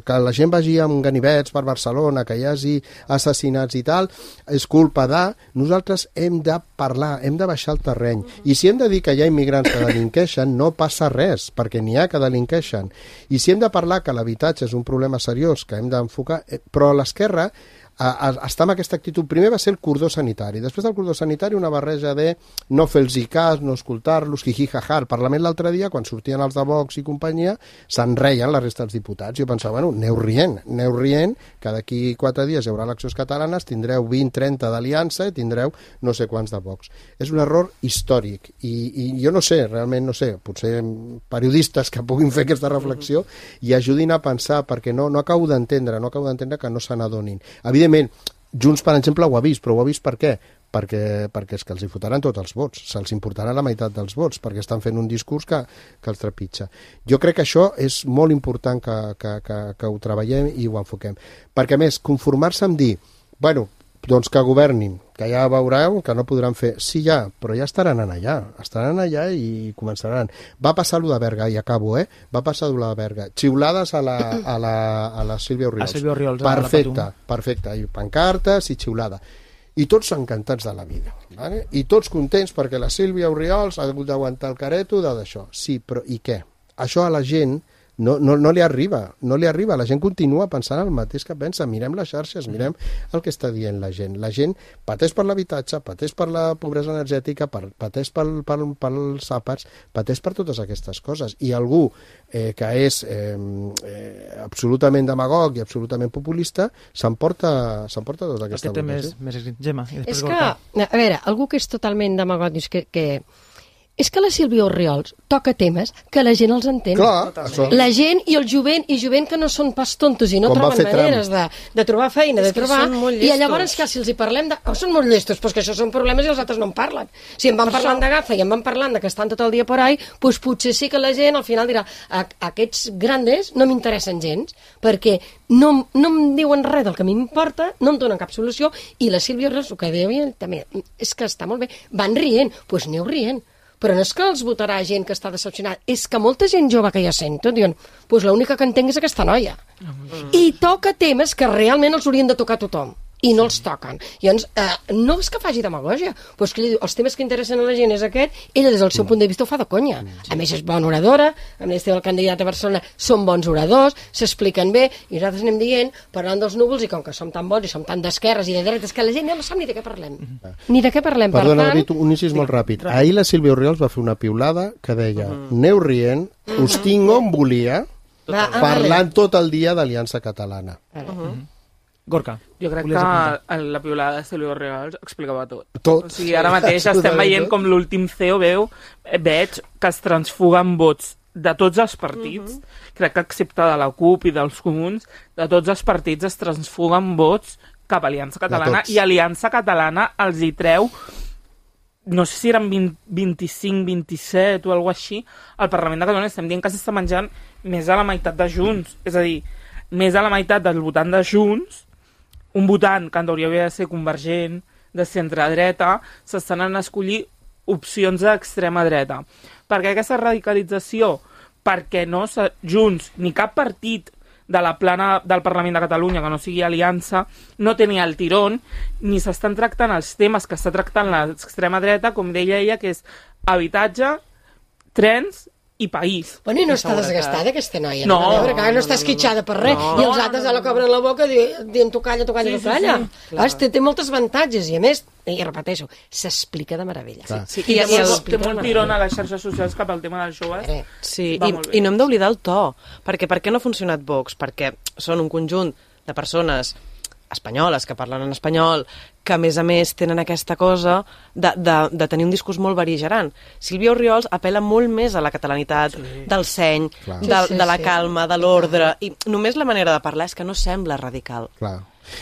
que la gent vagi amb ganivets per Barcelona, que hi hagi assassinats i tal, és culpa de... Nosaltres hem de parlar, hem de baixar el terreny. I si hem de dir que hi ha immigrants que delinqueixen, no passa res, perquè n'hi ha que delinqueixen. I si hem de parlar que l'habitatge és un problema seriós que hem d'enfocar, però l'esquerra està amb aquesta actitud. Primer va ser el cordó sanitari, després del cordó sanitari una barreja de no fer-los cas, no escoltar-los, jijijajà. Al Parlament l'altre dia, quan sortien els de Vox i companyia, se'n reien la resta dels diputats. Jo pensava, aneu rient, que d'aquí 4 dies hi haurà eleccions catalanes, tindreu 20-30 d'Aliança i tindreu no sé quants de Vox. És un error històric, i jo no sé, realment no sé, potser periodistes que puguin fer aquesta reflexió i ajudin a pensar, perquè no acabo d'entendre que no se n'adonin. Evidentment, Junts, per exemple, ho ha vist, però ho ha vist per què? Perquè és que els hi fotran tots els vots, se'ls importarà la meitat dels vots, perquè estan fent un discurs que els trepitja. Jo crec que això és molt important que ho treballem i ho enfoquem. Perquè, a més, conformar-se amb dir, doncs que governin, que ja veureu que no podran fer... Sí, ja, però ja estaran allà i començaran. Va passar allò de Berga, i acabo, Va passar allò de Berga. Xiulades a la Sílvia Orriols. A Sílvia Orriols. Perfecte. I pancartes i xiulada. I tots encantats de la vida. ¿vale? I tots contents perquè la Sílvia Orriols ha hagut d'aguantar el careto d'això. Sí, però i què? Això a la gent no li arriba, la gent continua pensant el mateix que pensa. Mirem les xarxes, mirem el que està dient la gent. La gent pateix per l'habitatge, pateix per la pobresa energètica, pateix pels àpats, pateix per totes aquestes coses. I algú que és absolutament demagog i absolutament populista s'emporta tota aquesta votació. Aquest té més Gemma. És que, a veure, algú que és totalment demagog dius que és que la Sílvia Orriols toca temes que la gent els entén. Clar, la gent i el jovent que no són pas tontos i no troben maneres de trobar feina, de trobar... I llavors que si els hi parlem de... són molt llestos, però que això són problemes i els altres no en parlen. Si em van parlant de Gaza i em van parlant de que estan tot el dia por ahí, doncs potser sí que la gent al final dirà aquests grandes no m'interessen gens, perquè no em diuen res del que a mi m'importa, no em donen cap solució, i la Sílvia Orriols, el que deia també, és que està molt bé, van rient, doncs aneu rient. però no és que els votarà gent que està decepcionada, és que molta gent jove que ja sento diuen, doncs l'única que entenc és aquesta noia. I toca temes que realment els haurien de tocar tothom i no els toquen. Llavors, no és que faci demagògia, però és que ell diu, els temes que interessen a la gent és aquest, ella des del seu punt de vista ho fa de conya. A més és bona oradora, a més el candidat a Barcelona són bons oradors, s'expliquen bé, i nosaltres anem dient, parlant dels núvols, i com que som tan bons i som tan d'esquerres i de dretes, que la gent no sap ni de què parlem. Ni de què parlem, Perdona, David, un incís molt ràpid. Ahir la Sílvia Orriols va fer una piulada que deia, aneu rient, us tinc on volia, parlant tot el dia d'Aliança Catalana. Gorka. Jo crec que la piulada de Sílvia Orriols explicava tot. Tot. O sigui, ara mateix estem veient com l'últim CEO veig que es transfuguen vots de tots els partits, crec que excepte de la CUP i dels Comuns, de tots els partits es transfuguen vots cap a Aliança Catalana i Aliança Catalana els hi treu, no sé si eren 25, 27 o alguna així, al Parlament de Catalunya estem dient que s'està menjant més de la meitat de Junts, és a dir, més de la meitat del votant de Junts, un votant que en teoria havia de ser convergent, de centre-dreta, s'estan a escollir opcions d'extrema dreta. Per què aquesta radicalització? Perquè no Junts ni cap partit de la plana del Parlament de Catalunya, que no sigui Aliança, no tenia el tirón, ni s'estan tractant els temes que està tractant l'extrema dreta, com deia ella, que és habitatge, trens i país. Bueno, i no està desgastada aquesta noia. No, no està esquitxada per res. I els altres la cobren la boca dient tu calla, tu calla, tu calla. Té molts avantatges i a més, i repeteixo, s'explica de meravella. I té molt tirón a les xarxes socials cap al tema dels joves. Sí, i no hem d'oblidar el to, perquè per què no ha funcionat Vox? Perquè són un conjunt de persones espanyoles, que parlen en espanyol, que a més tenen aquesta cosa de tenir un discurs molt beligerant. Sílvia Orriols apel·la molt més a la catalanitat, del seny, de la calma, de l'ordre, i només la manera de parlar és que no sembla radical.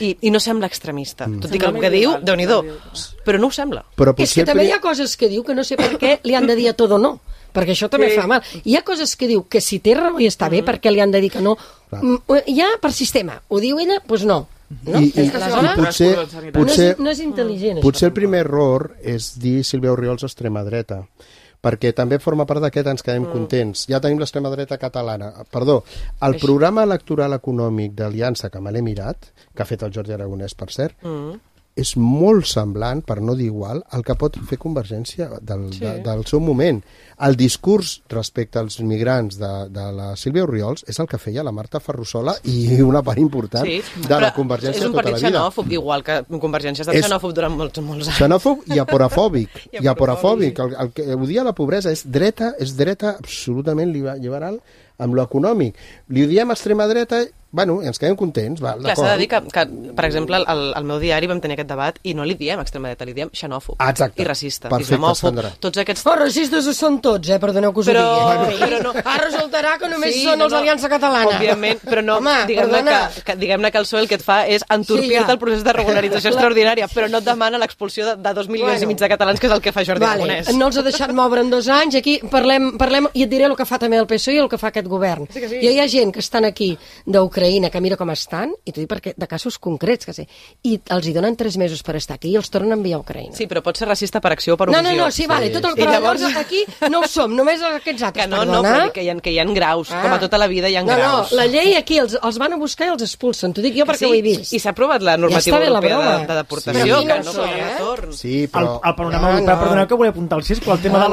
I no sembla extremista. Tot i que el que diu, Déu-n'hi-do, però no ho sembla. És que també hi ha coses que diu que no sé per què li han de dir a tot o no, perquè això també fa mal. Hi ha coses que diu que si té raó i està bé, perquè li han de dir que no. Ja per sistema, ho diu ella, doncs no. I potser no és intel·ligent. Potser el primer error és dir Sílvia Orriols extrema dreta, perquè també forma part d'aquest ens quedem contents. Ja tenim l'extrema dreta catalana. Perdó, el programa electoral econòmic d'Aliança, que me l'he mirat, que ha fet el Jordi Aragonès, per cert, és molt semblant, per no dir igual, al que pot fer Convergència del seu moment. El discurs respecte als migrants de la Sílvia Orriols és el que feia la Marta Ferrusola i una part important de la Convergència tota la vida. És un partit xenòfob, igual que Convergència ha estat xenòfob durant molts anys. Xenòfob i aporafòbic. El que odia la pobresa és dreta absolutament liberal amb lo econòmic. Li diem extrema dreta, bueno, ens quedem contents. Clar, s'ha de dir que, per exemple, al meu diari vam tenir aquest debat i no li diem extrema dreta, li diem xenòfob i racista, islamòfob, tots aquests... Però racistes són tots, perdoneu que us ho digui. Però no. Ara resultarà que només són els d'Aliança Catalana. Òbviament, però no, diguem-ne que el PSOE el que et fa és entorpir-te el procés de regularització extraordinària, però no et demana l'expulsió de 2 milions i mig de catalans, que és el que fa Jordi Aragonès. No els ha deixat moure en 2 anys, aquí parlem i et diré el que fa també el PSOE i el que fa aquest govern. I hi ha gent que estan aquí d'Ucraïna, que mira com estan, i t'ho dic perquè de casos concrets, que sé, i els hi donen 3 mesos per estar aquí i els tornen a enviar a Ucraïna. Sí, però pot ser racista per acció o per omissió. No, sí, vale, tot el que llavors aquí no ho som, només aquests altres, no, però que hi ha graus, com a tota la vida hi ha graus. No, la llei aquí els van a buscar i els expulsen, t'ho dic jo perquè ho he vist. I s'ha aprovat la normativa europea de deportació, que no hi ha retorn. Sí, però... El panorama europeu, perdoneu que volia apuntar el 6, però el tema de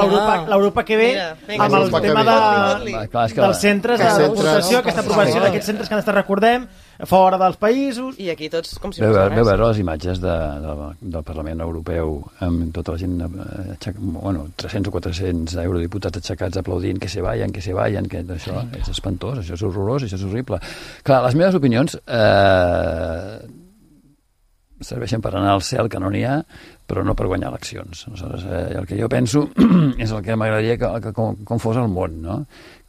l'Europa que ve, amb el tema dels centres de deportació, aquesta aprovació d'aquests centres que han estat, recordem, fora dels països... I aquí tots com si no fos res. Veu veure les imatges del Parlament Europeu amb tota la gent, 300 o 400 eurodiputats aixecats aplaudint que se vayan, que això és espantós, això és horrorós, això és horrible. Clar, les meves opinions serveixen per anar al cel, que no n'hi ha, però no per guanyar eleccions. Aleshores, el que jo penso és el que m'agradaria que com fos el món, no?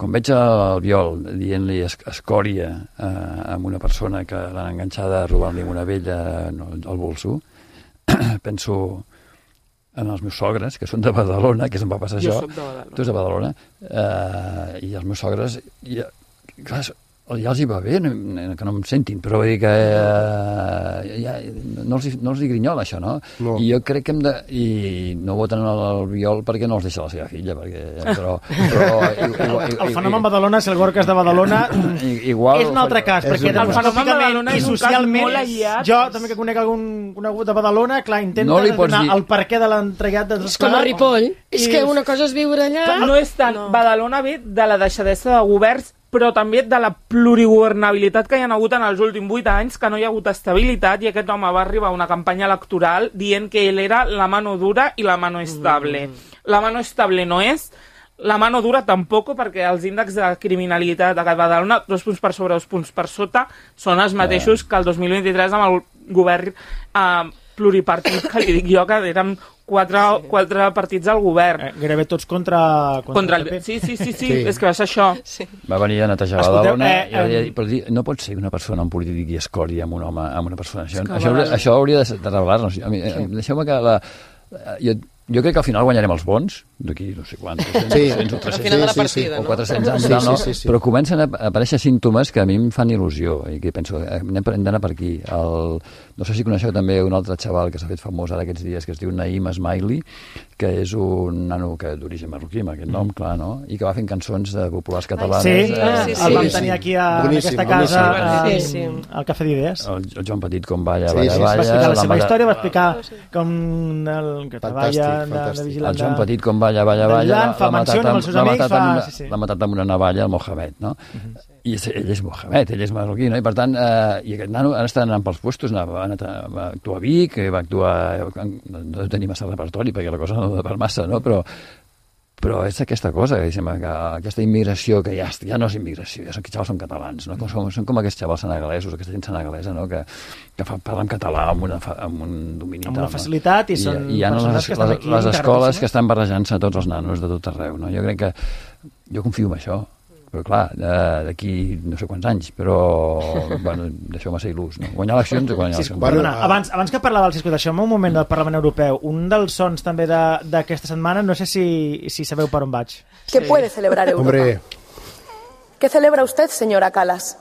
Quan veig el Biol dient-li escòria a una persona que l'han enganxada robant-li una vella al bolso, penso en els meus sogres, que són de Badalona, que se'm va passar això. Jo soc de Badalona. Tu ets de Badalona. I els meus sogres... Clar, ja els hi va bé, que no em sentin, però vull dir que no els hi grinyola això, no? I jo crec que hem de... I no voten l'Albiol perquè no els deixa la seva filla, però el fenomen Badalona, si el Gorka és de Badalona, és un altre cas, perquè demogràficament i socialment, jo també que conec algun conegut de Badalona, clar, intenta donar el perquè de l'entregat de és com a Ripoll, és que una cosa és viure allà... No és tant, Badalona ve de la deixadesa de governs, però també de la plurigovernabilitat que hi ha hagut en els últims 8 anys, que no hi ha hagut estabilitat, i aquest home va arribar a una campanya electoral dient que ell era la mano dura i la mano estable. La mano estable no és, la mano dura tampoc, perquè els índexs de criminalitat a Badalona, 2 punts per sobre, 2 punts per sota, són els mateixos que el 2023 amb el govern pluripartit, que li dic jo, que eren 4 partits al govern. Gairebé tots contra el PP. Sí, és que va ser això. Sí. Va venir a netejar Badalona, però no pot ser una persona, un polític i escori amb un home, amb una persona. Això hauria de revelar-nos. Deixeu-me que... Jo crec que al final guanyarem els bons, d'aquí no sé quants, 200 o 300, o 400 anys, no? Però comencen a aparèixer símptomes que a mi em fan il·lusió, i que penso, hem d'anar per aquí. No sé si coneixeu també un altre xaval que s'ha fet famós ara aquests dies, que es diu Naïm Esmaili, que és un nano d'origen marroquí, amb aquest nom, clar, no? I que va fent cançons de populars catalanes. El vam tenir aquí a aquesta casa, al Cafè d'Idees. El Joan Petit, com balla. Va explicar la seva història, va explicar com el que treballa de vigilant. El Joan Petit, com balla, l'ha matat amb una navalla el Mohamed, no? I ell és Mohamed, ell és marroquí, no? I per tant, i aquest nano ara està anant pels puestos, va actuar a Vic, va actuar... No tenim massa repertori, perquè la cosa no va per massa, no? Però és aquesta cosa, que aquesta immigració, que ja no és immigració, ja són xavals són catalans, no? Són com aquests xavals senegalesos, aquesta gent senegalesa, no? Que parlen català amb un domini. Amb una facilitat, i són persones que estan aquí. Les escoles que estan barrejant-se a tots els nanos de tot arreu, no? Jo crec que... Jo confio en això. Però clar, d'aquí no sé quants anys, però bueno, deixeu-me ser il·lús, no? Guanyar eleccions o guanyar eleccions. Abans que parlava del Cisco, deixeu-me un moment del Parlament Europeu. Un dels sons també d'aquesta setmana, no sé si sabeu per on vaig. ¿Qué puede celebrar Europa? Hombre. ¿Qué celebra usted, señora Kallas?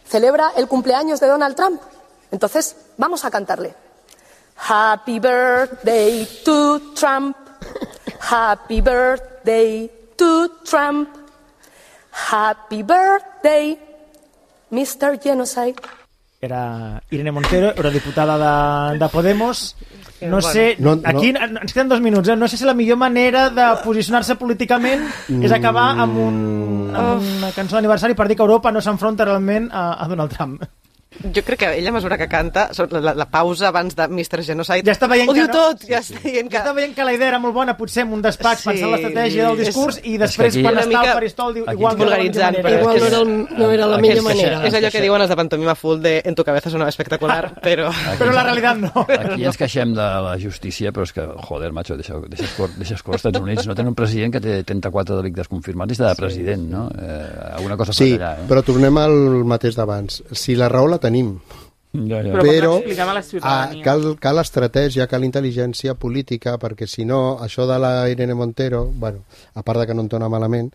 ¿Celebra el cumpleaños de Donald Trump? Entonces, vamos a cantarle. Happy birthday to Trump. Happy birthday to Trump. Happy birthday, Mr. Genocide. Era Irene Montero, eurodiputada de Podemos. No sé, aquí ens queden 2 minuts, no sé si la millor manera de posicionar-se políticament és acabar amb una cançó d'aniversari per dir que Europa no s'enfronta realment a Donald Trump. Jo crec que ella, a mesura que canta, la pausa abans de Mr. Genocide, ja està veient ho diu tot. Ja està veient que la idea era molt bona, potser en un despatx, pensant l'estratègia del discurs, i després quan està al faristol diu igual vulgaritzant, no era la millor manera. És allò que diuen els de pantomima full de en tu cabeza sonava espectacular, però la realitat no. Aquí ens queixem de la justícia, però és que, joder, macho, deixes cor als Estats Units, no tenen un president que té 34 delictes confirmats i està de president, no? Alguna cosa per allà. Sí, però tornem al mateix d'abans. Si la raó la tenim, però cal estratègia, cal intel·ligència política, perquè si no, això de la Irene Montero, bueno, a part de que no entona malament,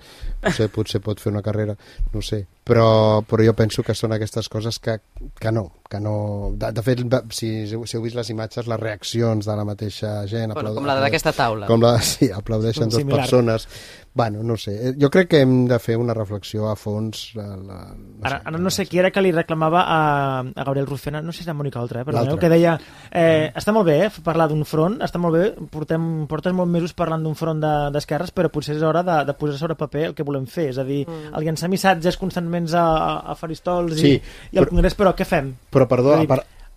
potser pot fer una carrera, no sé, però jo penso que són aquestes coses que no. De fet, si heu vist les imatges, les reaccions de la mateixa gent... Com la d'aquesta taula. Sí, aplaudeixen 2 persones. Bueno, no sé. Jo crec que hem de fer una reflexió a fons. Ara no sé qui era que li reclamava a Gabriel Rufián, no sé si era Mònica Oltra, perdoneu, que deia està molt bé parlar d'un front, està molt bé, portes molts mesos parlant d'un front d'esquerres, però potser és hora de posar sobre paper el que volem fer, és a dir, el llançar missatges constantment a faristols i al Congrés, però què fem? Però perdó,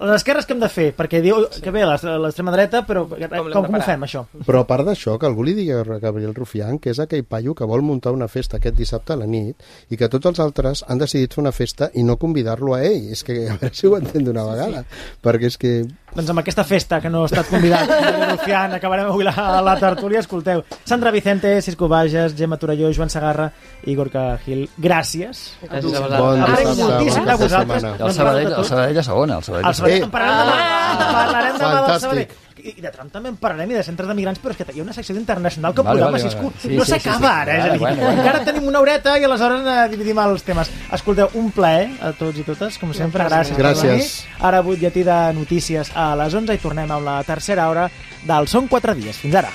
les esquerres què hem de fer? Perquè diu que bé, l'extrema dreta, però com ho fem, això? Però a part d'això, que algú li digui a Gabriel Rufián que és aquell paio que vol muntar una festa aquest dissabte a la nit i que tots els altres han decidit fer una festa i no convidar-lo a ell. És que a veure si ho entén d'una vegada. Perquè és que... Doncs amb aquesta festa que no ha estat convidat Rufián, acabarem avui la tertúlia. Escolteu, Sandra Vicente, Cisco Bages, Gemma Torelló, Joan Sagarra i Gorka Gil, gràcies. Bon dissabte, vosaltres. El Sabadell a segona. Parlarem demà del Sabadell. I de Trump també en parlarem, i de centres de migrants, però és que hi ha una secció d'internacional que podem assistir. No s'acaba ara, és a dir, encara tenim una horeta i aleshores dividim els temes. Escolteu, un plaer a tots i totes, com sempre, gràcies per venir. Ara butlletí de notícies a les 11 i tornem amb la tercera hora del Són 4 dies. Fins ara.